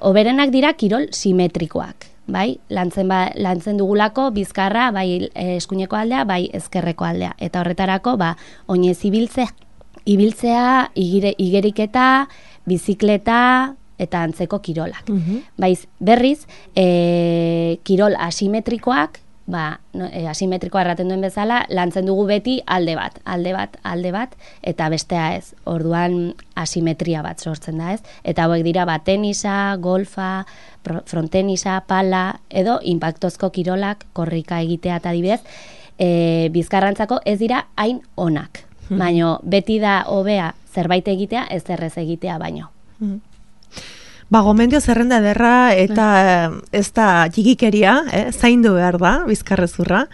Hoberenak dira kirol simetrikoak, bai? Lantzen dugulako bizkarra bai eskuineko aldea, bai ezkerreko aldea. Eta horretarako oinez ibiltzea, igeriketa, bizikleta eta antzeko kirolak. Baiz, berriz, kirol asimetrikoak, asimetrikoa erraten duen bezala, lantzen dugu beti alde bat, eta bestea ez. Orduan asimetria bat sortzen da, ez? Eta hauek dira tenisa, golfa, frontenisa, pala, edo inpaktozko kirolak, korrika egitea eta adibidez, bizkarrantzako ez dira hain onak. Baina beti da hobea zerbait egitea, ez errez egitea baino. Gomendio zerrenda ederra eta ez da txikikeria, zaindu behar da, bizkarrezurra.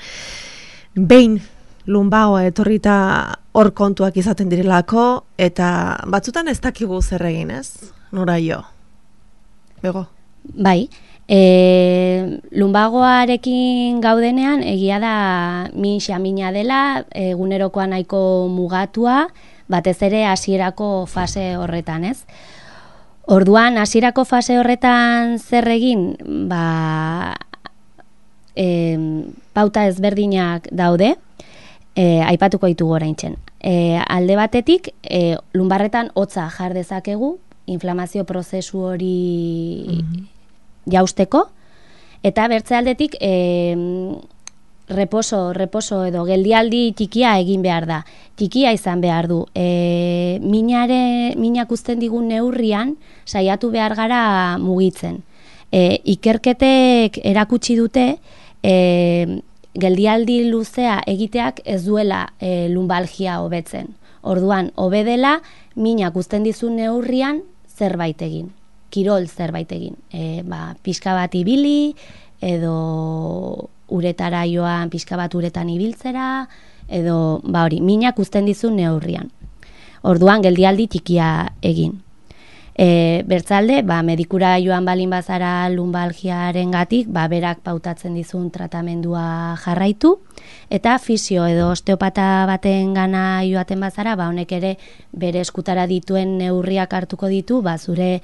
Behin lumbagoa etorrita hor kontuak izaten direlako, eta batzutan ez dakigu zer egin, ez? Nora jo? Bego? Bai, lumbagoarekin gaudenean egia da min xamina dela, egunerokoa nahiko mugatua, batez ere hasierako fase horretan, ez? Orduan, hasierako fase horretan zer egin, pauta ezberdinak daude, aipatuko ditugu oraintzen. Alde batetik, lumbarretan hotza jar dezakegu, inflamazio prozesu hori jausteko, eta bertze aldetik reposo edo geldialdi txikia egin behar da. Txikia izan behar du. Minak uzten digun neurrian saiatu behar gara mugitzen. Ikerketek erakutsi dute geldialdi luzea egiteak ez duela lumbalgia hobetzen. Orduan, hobe dela minak uzten dizun neurrian zerbait egin. Kirol zerbait egin. Pixka bat ibili, edo uretara joan pixka bat uretan ibiltzera, edo hori, minak uzten dizun neurrian. Orduan, geldialdi txikia egin. Bertzalde, medikura joan balin bazara lumbalgiaren gatik, berak pautatzen dizun tratamendua jarraitu, eta fisio edo osteopata baten gana joaten bazara, honek ere bere eskutara dituen neurriak hartuko ditu, zure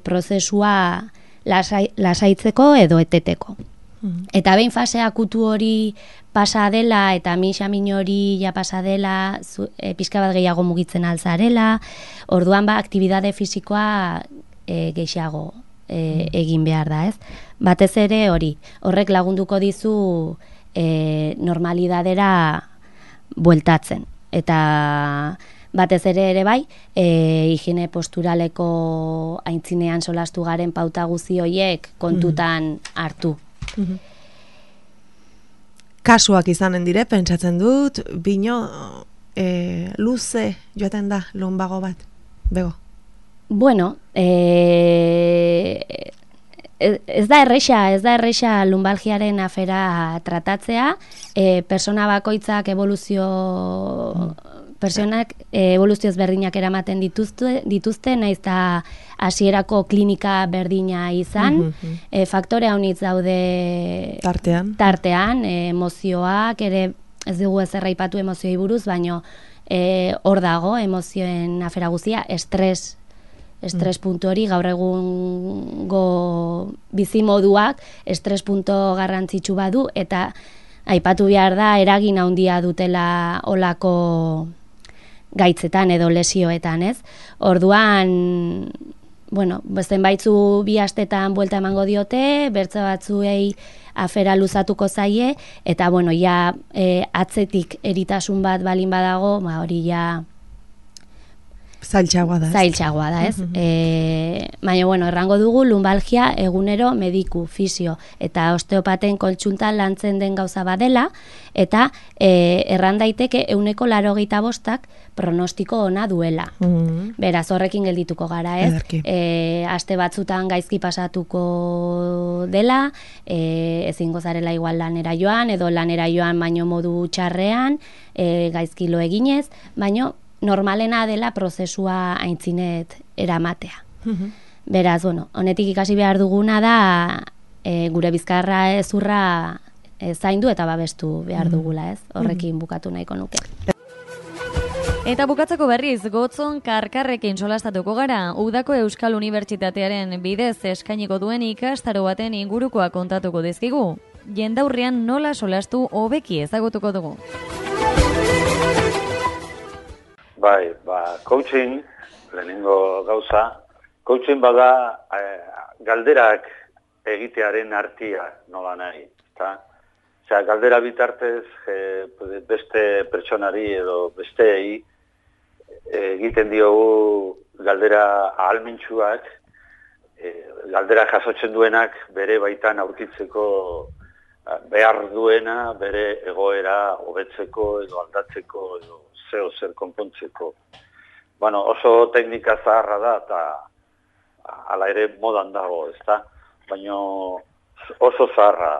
prozesua lasaitzeko edo eteteko. Eta behin fase akutu hori pasa dela eta min hori ja pasa dela, pixka bat gehiago mugitzen alzarela, orduan aktibitate fisikoa gehiago egin behar da, ez? Batez ere hori, horrek lagunduko dizu normalidadera bueltatzen. Eta batez ere bai, higiene posturaleko aintzinean solastu garen pauta guzi horiek kontutan hartu. Kasuak izanen dire, pentsatzen dut, bino luze joaten da lumbago bat, bego? Bueno, ez da erresa lumbalgiaren afera tratatzea, persona bakoitzak Pertsonak evoluzio ezberdinak eramaten dituzte, naiz eta hasierako klinika berdina izan, faktore haunitz daude tartean, emozioak, ere ez dugu ezer aipatu emozioi buruz, baino hor dago emozioen afera guztia, estres puntu hori, gaur egungo bizimoduak estres puntu garrantzitsu badu, eta aipatu behar da eragin handia dutela olako gaitzetan edo lesioetan, ez? Orduan, zenbaitzu bi astetan buelta emango diote, bertze batzuei afera luzatuko zaie, eta atzetik eritasun bat balin badago, hori ja zailtxagoa da, ez? Baina, errango dugu, lumbalgia egunero mediku, fisio, eta osteopaten kontsultan lantzen den gauza badela, eta erran daiteke 185 pronostiko ona duela. Beraz, horrekin geldituko gara, ez? Aste batzutan gaizki pasatuko dela, ezingo zarela igual lanera joan, edo lanera joan baino modu txarrean, gaizki lo eginez, baino normalena dela prozesua aintzinet eramatea. Beraz, honetik ikasi behar duguna da gure bizkarra ezurra zaindu eta babestu behar dugula, ez? Horrekin bukatu nahiko nuke. Eta bukatzeko berriz, Gotzon Karkarrekin solastatuko gara, Udako Euskal Unibertsitatearen bidez eskainiko duen ikastaro baten ingurukoa kontatuko dizkigu. Jendaurrean nola solastu hobeki ezagutuko dugu. Bai, coaching, lehenengo gauza, coaching bada galderak egitearen artia nola nahi, eta galdera bitartez beste pertsonari edo besteei egiten diogu galdera ahalmentsuak, galdera jasotzen duenak bere baitan aurkitzeko behar duena, bere egoera hobetzeko edo aldatzeko edo zer konpontzeko. Oso teknika zaharra da eta hala ere modan dago, ezta? Baina oso zaharra.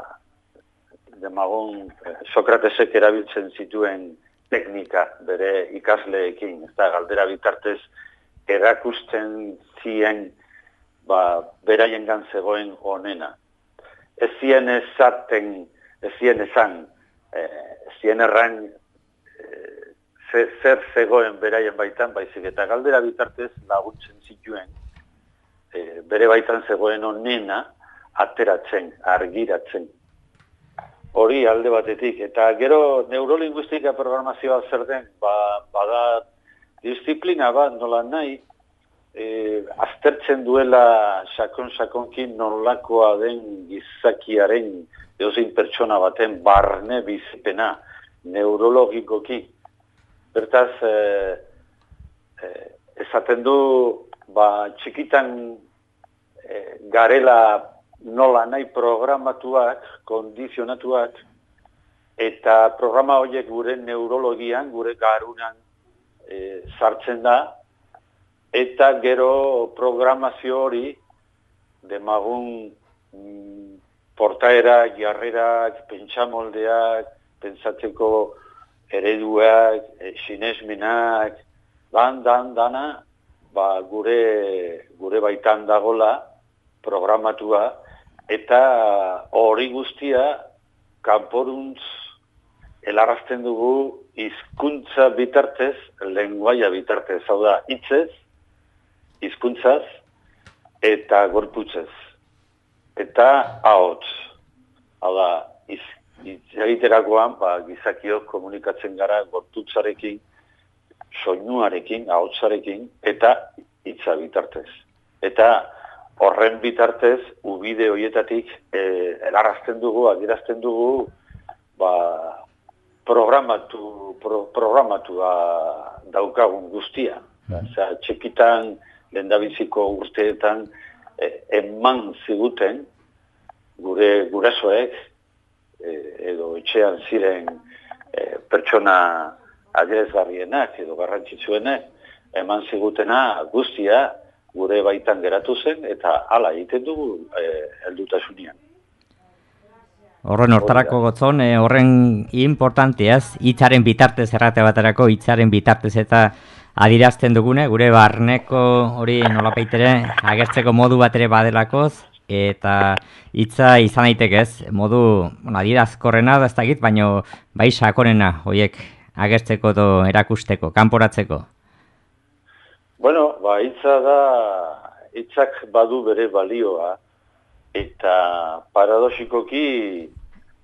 Demagun Sokratesek erabiltzen zituen teknika bere ikasleekin, ezta? Galdera bitartez erakusten zien beraiengan zegoen onena. Ez zien erran zer zegoen beraien baitan, baizik eta galdera bitartez laguntzen zituen bere baitan zegoen onena ateratzen, argiratzen. Hori alde batetik. Eta gero neurolinguistika programazioa zer den, bada disiplina bat nola nahi, aztertzen duela sakon-sakonkin nolakoa den gizakiaren edozein pertsona baten barne bizipena neurologikoki. Bertaz, esaten du, txikitan garela nola nahi programatuak, kondizionatuak, eta programa horiek gure neurologian, gure garunan sartzen da, eta gero programazio hori demagun portaerak, jarrerak, pentsamoldeak, pentsatzeko ereduak, sinesmenak, dana, gure baitan dagola programatua, eta hori guztia kanporuntz helarazten dugu hizkuntza bitartez, lenguaia bitartez, hau da, hitzez, hizkuntzaz eta gorputzez. Eta ahots. Hau da, egiterakoan, gizakiok komunikatzen gara gorputzarekin, soinuarekin, ahotsarekin, eta hitza bitartez. Eta horren bitartez, ubide horietatik helarazten dugu, adierazten dugu, programatua daukagun guztia. Osea, txekitan, lehendabiziko urteetan, eman ziguten, gure gurasoek, edo etxean ziren pertsona adierazgarrienak edo garrantzitsuenak, eman zigutena guztia gure baitan geratu zen, eta hala egiten dugu heldutasunean. Horren hortarako gotzon, horren importanteaz, hitzaren bitartez errate baterako, hitzaren bitartez eta adirazten dugune, gure barneko hori nolapaitere agertzeko modu bat ere badelakoz, eta hitza izan daitekez, modu adierazkorrena da ez dakit, baino bai sakonena horiek agertzeko edo erakusteko, kanporatzeko. Bueno, hitza da, hitzak badu bere balioa, eta paradoxikoki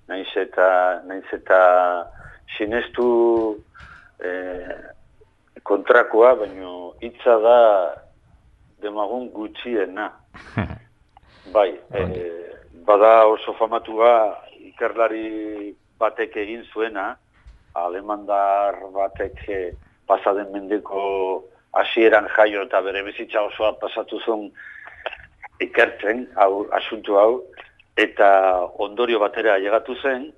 naiz eta sinestu kontrakoa, baino hitza da demagun gutxiena. Bai, bada oso famatua ikerlari batek egin zuena, alemandar batek pasaden mendeko hasieran jaio eta bere bizitza osoa pasatu zuen ikertzen, asuntu hau, eta ondorio batera llegatu zen,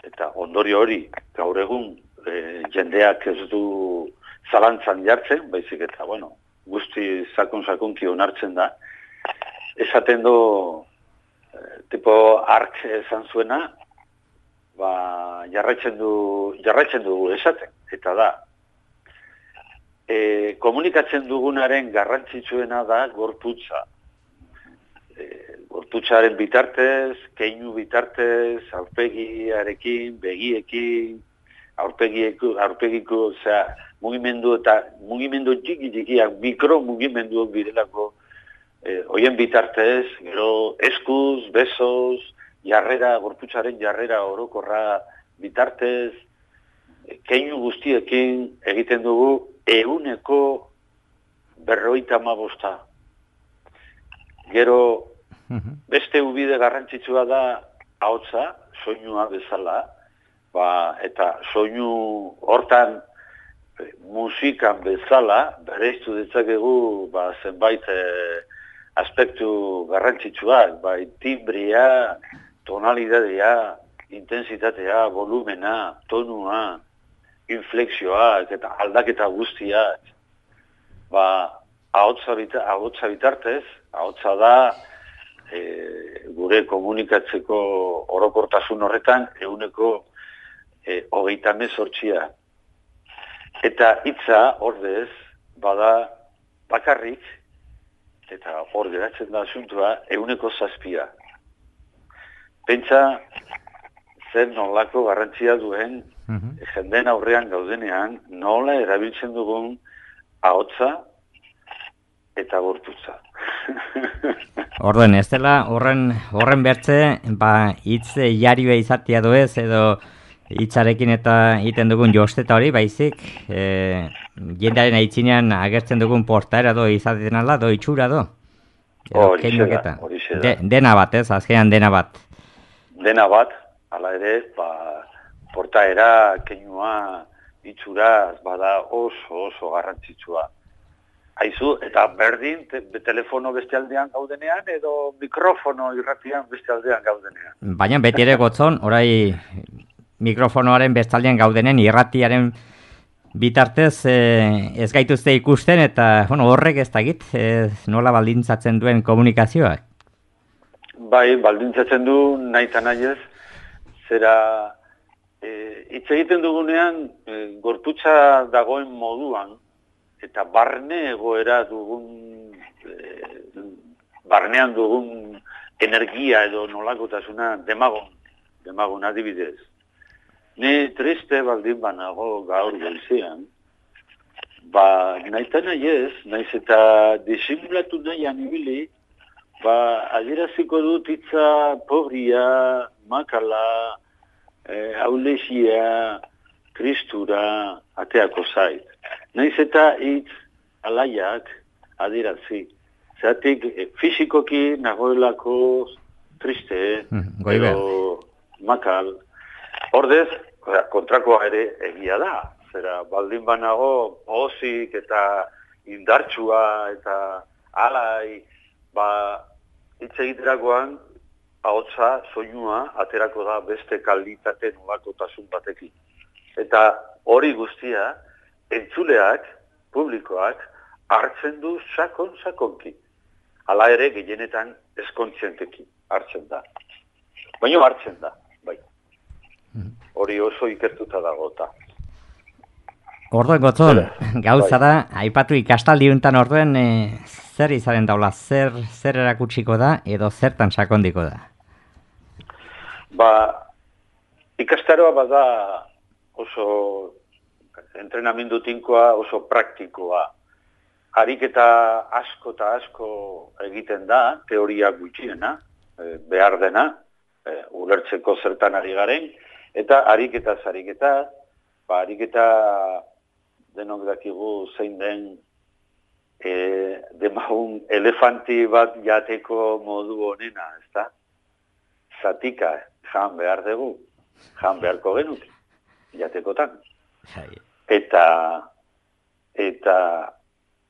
eta ondorio hori gaur egun jendeak ez du zalantzan jartzen, baizik eta, guzti sakon-sakonki onartzen da. Esaten du, tipo ark esan zuena, jarraitzen du esaten, eta da. Komunikatzen dugunaren garrantzitsuena da gorputza. Gorputzaren bitartez, keinu bitartez, aurpegiarekin, begiekin, aurpegiko, mugimendu eta mugimendu txiki-txikiak, mikromugimenduak birelako, hoien bitartez, gero eskuz, besoz, gorputzaren jarrera orokorra bitartez, keinu guztiekin egiten dugu 150%. Gero, beste ubide garrantzitsua da ahotsa, soinua bezala, eta soinu hortan musikan bezala, bereiztu ditzakegu zenbait aspektu garrantzitsuak, timbria, tonalidadea, intensitatea, volumena, tonua, inflexioak eta aldaketa guztiak, ahotsa bitartez, ahotsa da gure komunikatzeko orokortasun horretan 128%. Eta hitza ordez bada bakarrik eta hor geratzen da asuntua, 7%. Pentsa, zer nolako garrantzia duen, jenden aurrean gaudenean, nola erabiltzen dugun ahotsa eta gorputza. Orduan, ez dela horren bertze, hitz jarioa izatea ez, edo hitzarekin eta egiten dugun josteta hori, baizik, jendearen aitzinean agertzen dugun portaera izaten ala, itxura Hori da. Dena bat, ez, azkenean dena bat. Dena bat, hala ere, portaera, keinua, itxuraz, bada oso garrantzitsua. Aizu, eta berdin, telefono beste aldean gaudenean, edo mikrofono irratian beste aldean gaudenean. Baina beti ere gotzon, orai mikrofonoaren bestaldean gaudenen irratiaren bitartez ez gaituzte ikusten, eta horrek ez dakit, nola baldintzatzen duen komunikazioak? Bai, baldintzatzen du nahi eta nahi ez, zera hitz egiten dugunean gorputza dagoen moduan, eta barne egoera dugun, barnean dugun energia edo nolakotasuna demagon adibidez. Ni triste baldin banago gaur goizean, nahi nahi ez, naiz eta disimulatu nahian ibili, adieraziko dut hitza pobria, makala, aulexia, tristura, ateako zait. Naiz eta hitz alaiak adierazi. Zeratik fisikoki nagoelako triste, edo makal. Ordez, kontrakoa ere egia da. Zera, baldin banago pozik eta indartsua eta alai, hitz egiterakoan ahotsa, soinua, aterako da beste kalitate nolakotasun batekin. Eta hori guztia, entzuleak, publikoak, hartzen du sakonki. Hala ere, gehienetan eskontzienteki hartzen da. Baina hartzen da, bai. Hori oso ikertuta dago eta. Orduan gotzon, gauza da, aipatu ikastaldi untan orduen zer izaren daula, zer erakutsiko da edo zertan sakondiko da? Ikastaroa bada oso entrenamendu tinkoa, oso praktikoa. Ariketa asko eta asko egiten da, teoria gutxiena, behar dena, ulertzeko zertan ari garen, eta ariketa denok dakigu zein den demagun elefanti bat jateko modu honena, ezta? Zatika, jan behar dugu, jan beharko genuk, jatekotan. Eta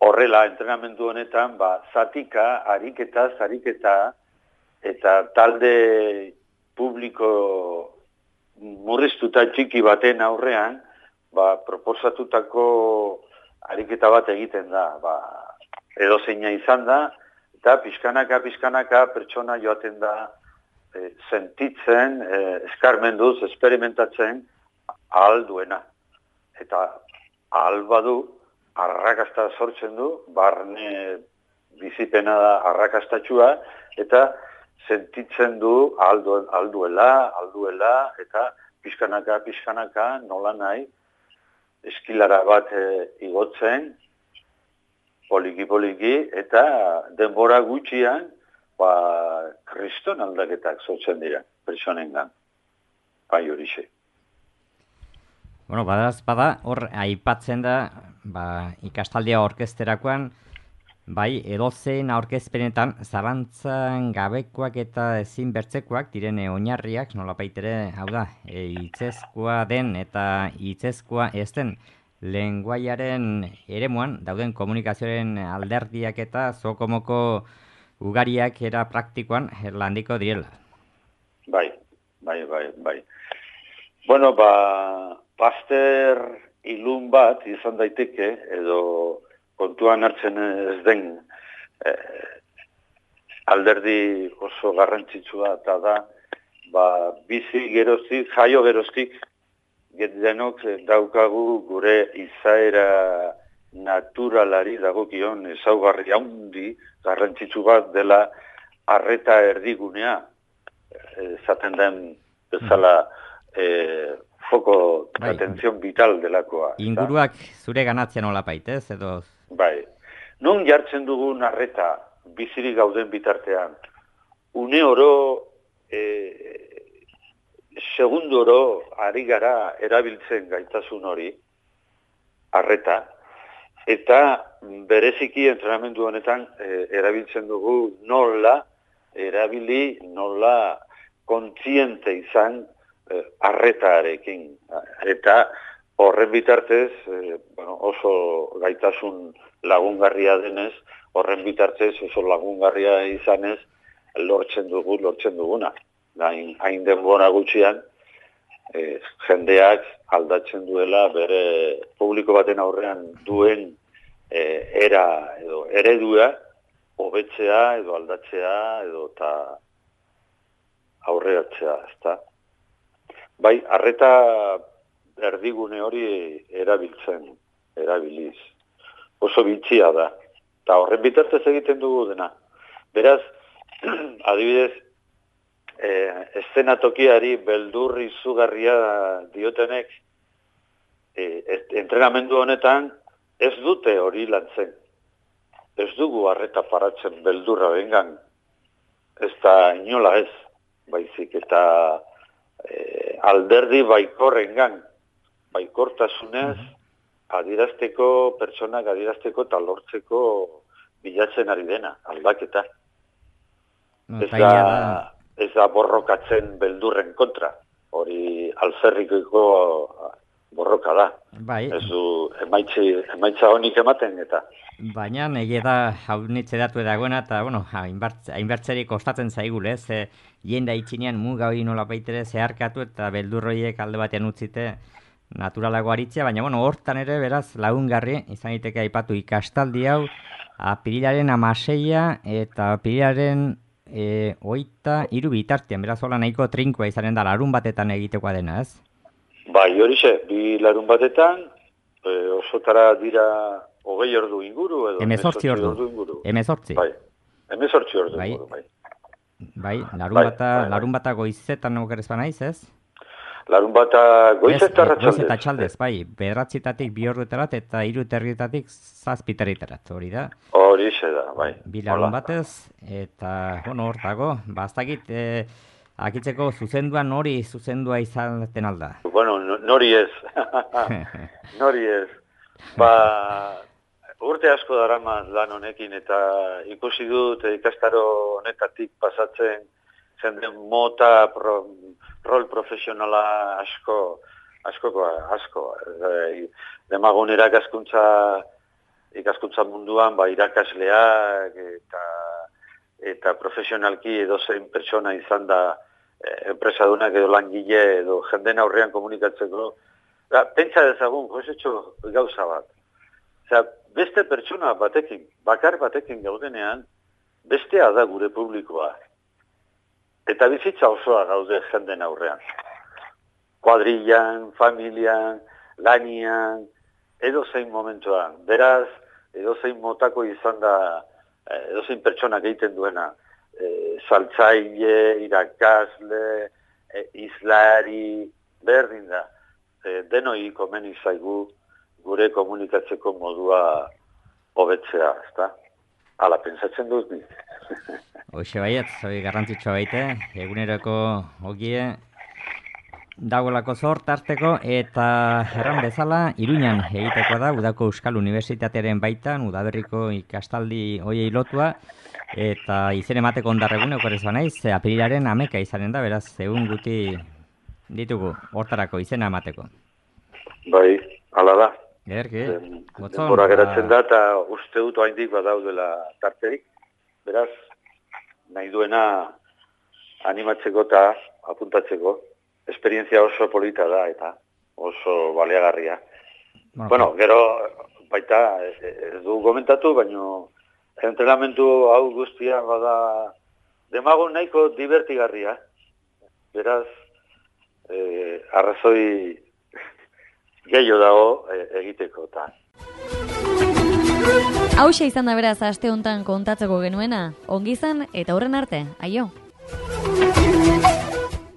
horrela entrenamendu honetan, zatika, ariketa, eta talde publiko murriztuta txiki baten aurrean, proposatutako ariketa bat egiten da. Edo zeina izan da, eta pixkanaka pertsona joaten da sentitzen, eskarmenduz, esperimentatzen ahal duena. Eta ahal badu, arrakasta sortzen du, barne bizipena da arrakastatxua, eta sentitzen du ahal duela, eta pixkanaka, nola nahi, eskilara bat igotzen, poliki, eta denbora gutxian, kriston aldaketak sortzen dira, pertsonengan. Bai horixe. Bueno, bada, hor aipatzen da, ikastaldia orkesterakoan, bai, edozein aurkezpenetan, zalantzan gabekoak eta ezin bertzekoak, direne oinarriak, nolapaitere, hau da, hitzezkoa den eta hitzezkoa ez den, lenguaiaren eremuan, dauden komunikazioaren alderdiak eta zokomoko ugariak era praktikoan landiko direla. Bai. Bueno, Pasteur ilun bat izan daiteke, edo kontuan hartzen ez den alderdi oso garrantzitsua eta da, bizi geroztik, jaio geroztik, denok daukagu gure izaera naturalari dagokion ezaugarri handi garrantzitsu bat dela arreta erdigunea, esaten den bezala foco de atención vital delakoa. Inguruak zure ganatzen olapait, ez? Edo... Bai. Non jartzen dugun arreta bizirik gauden bitartean, une oro, segundo oro ari gara erabiltzen gaitasun hori, arreta, eta bereziki entrenamendu honetan erabiltzen dugu nola erabili, nola kontziente izan arretarekin. Eta horren bitartez, oso gaitasun lagungarria denez, horren bitartez oso lagungarria izanez, lortzen duguna. Hain denbora gutxian, jendeak aldatzen duela bere publiko baten aurrean duen era edo eredua hobetzea edo aldatzea edo ta aurreratzea, ezta? Bai, arreta erdigune hori erabiliz. Oso bitxia da. Eta horren bitartez egiten dugu dena. Beraz, adibidez, eszenatokiari beldurri izugarria diotenek, entrenamendu honetan ez dute hori lantzen. Ez dugu arreta paratzen beldurra bengan. Ez da inola ez, baizik eta alderdi baikorrengan, baikortasunez, pertsonak adirazteko eta lortzeko bilatzen ari dena, aldaketa. Ez da borrokatzen beldurren kontra, hori alferrikoiko borroka da. Bai. Ez du emaitza honik ematen eta. Baina egia da haunitze datu dagoena eta hainbertzeri kostatzen zaigule, jenda itxinean muga hori nola baitere zeharkatu eta beldurroiek alde batean utzite naturalago aritzea, baina hortan ere beraz lagungarri izan daiteke aipatu ikastaldi hau apirilaren 16 eta apirilaren 23 bitartean, beraz hola nahiko trinkoa izanen da larun batetan egitekoa dena, ez? Bai, horixe, bi larun batetan, osotara dira 20 ordu inguru edo 18 ordu inguru. 18. Bai. 18 ordu inguru, bai. Bai, larun bata goizetan okerrez banaiz, ez? Larun bata goizetan ratxaldez. Goizeta txaldez, bai. 9:00 2 orduetarat eta 3:30 7:00 hori da. Horixe da, bai. Bi larun batez, eta, hor dago, bastakit, akitzeko zuzenduan nori zuzendua izaten alda. Bueno, nori ez. Nori ez. Urte asko daramaz lan honekin eta ikusi dut ikastaro honetatik pasatzen jende mota rol profesionala asko. Demagun ikaskuntza munduan irakasleak eta profesionalki edozein pertsona izan da enpresadunak edo langile edo jenden aurrean komunikatzeko. Pentsa dezagun, josetxo gauza bat. Beste pertsona batekin, bakar batekin gaudenean, bestea da gure publikoa. Eta bizitza osoa gaude jenden aurrean. Kuadrillan, familian, lanian, edozein momentuan. Beraz, edozein motako izan da, edozein pertsonak egiten duena. Saltzaile, irakasle, izlari, berdin da. Denoi komeni zaigu gure komunikatzeko modua hobetzea, ezta? Hala, pentsatzen dut ni. Hoxe baiet, garrantzitsua baite, eguneroko ogie dagoelako zort harteko eta erran bezala Iruñan egiteko da Udako Euskal Unibertsitatearen baitan Udaberriko ikastaldi hoiei lotua eta izen emateko ondarregune okorrez banaiz, apirilaren 11 izanen da, beraz, egun guti ditugu hortarako izena emateko. Bai, hala da. Ederki, denbora geratzen da eta uste dut oraindik badaudela tarterik. Beraz, nahi duena animatzeko eta apuntatzeko. Esperientzia oso polita da eta oso baliagarria. Bueno, gero baita ez du komentatu, baino entrenamendu hau guztia bada demagun nahiko divertigarria. Beraz, arrazoi gehiago dago egiteko eta. Hauxe izan da beraz aste hontan kontatzeko genuena, ongi izan eta aurren arte, aio!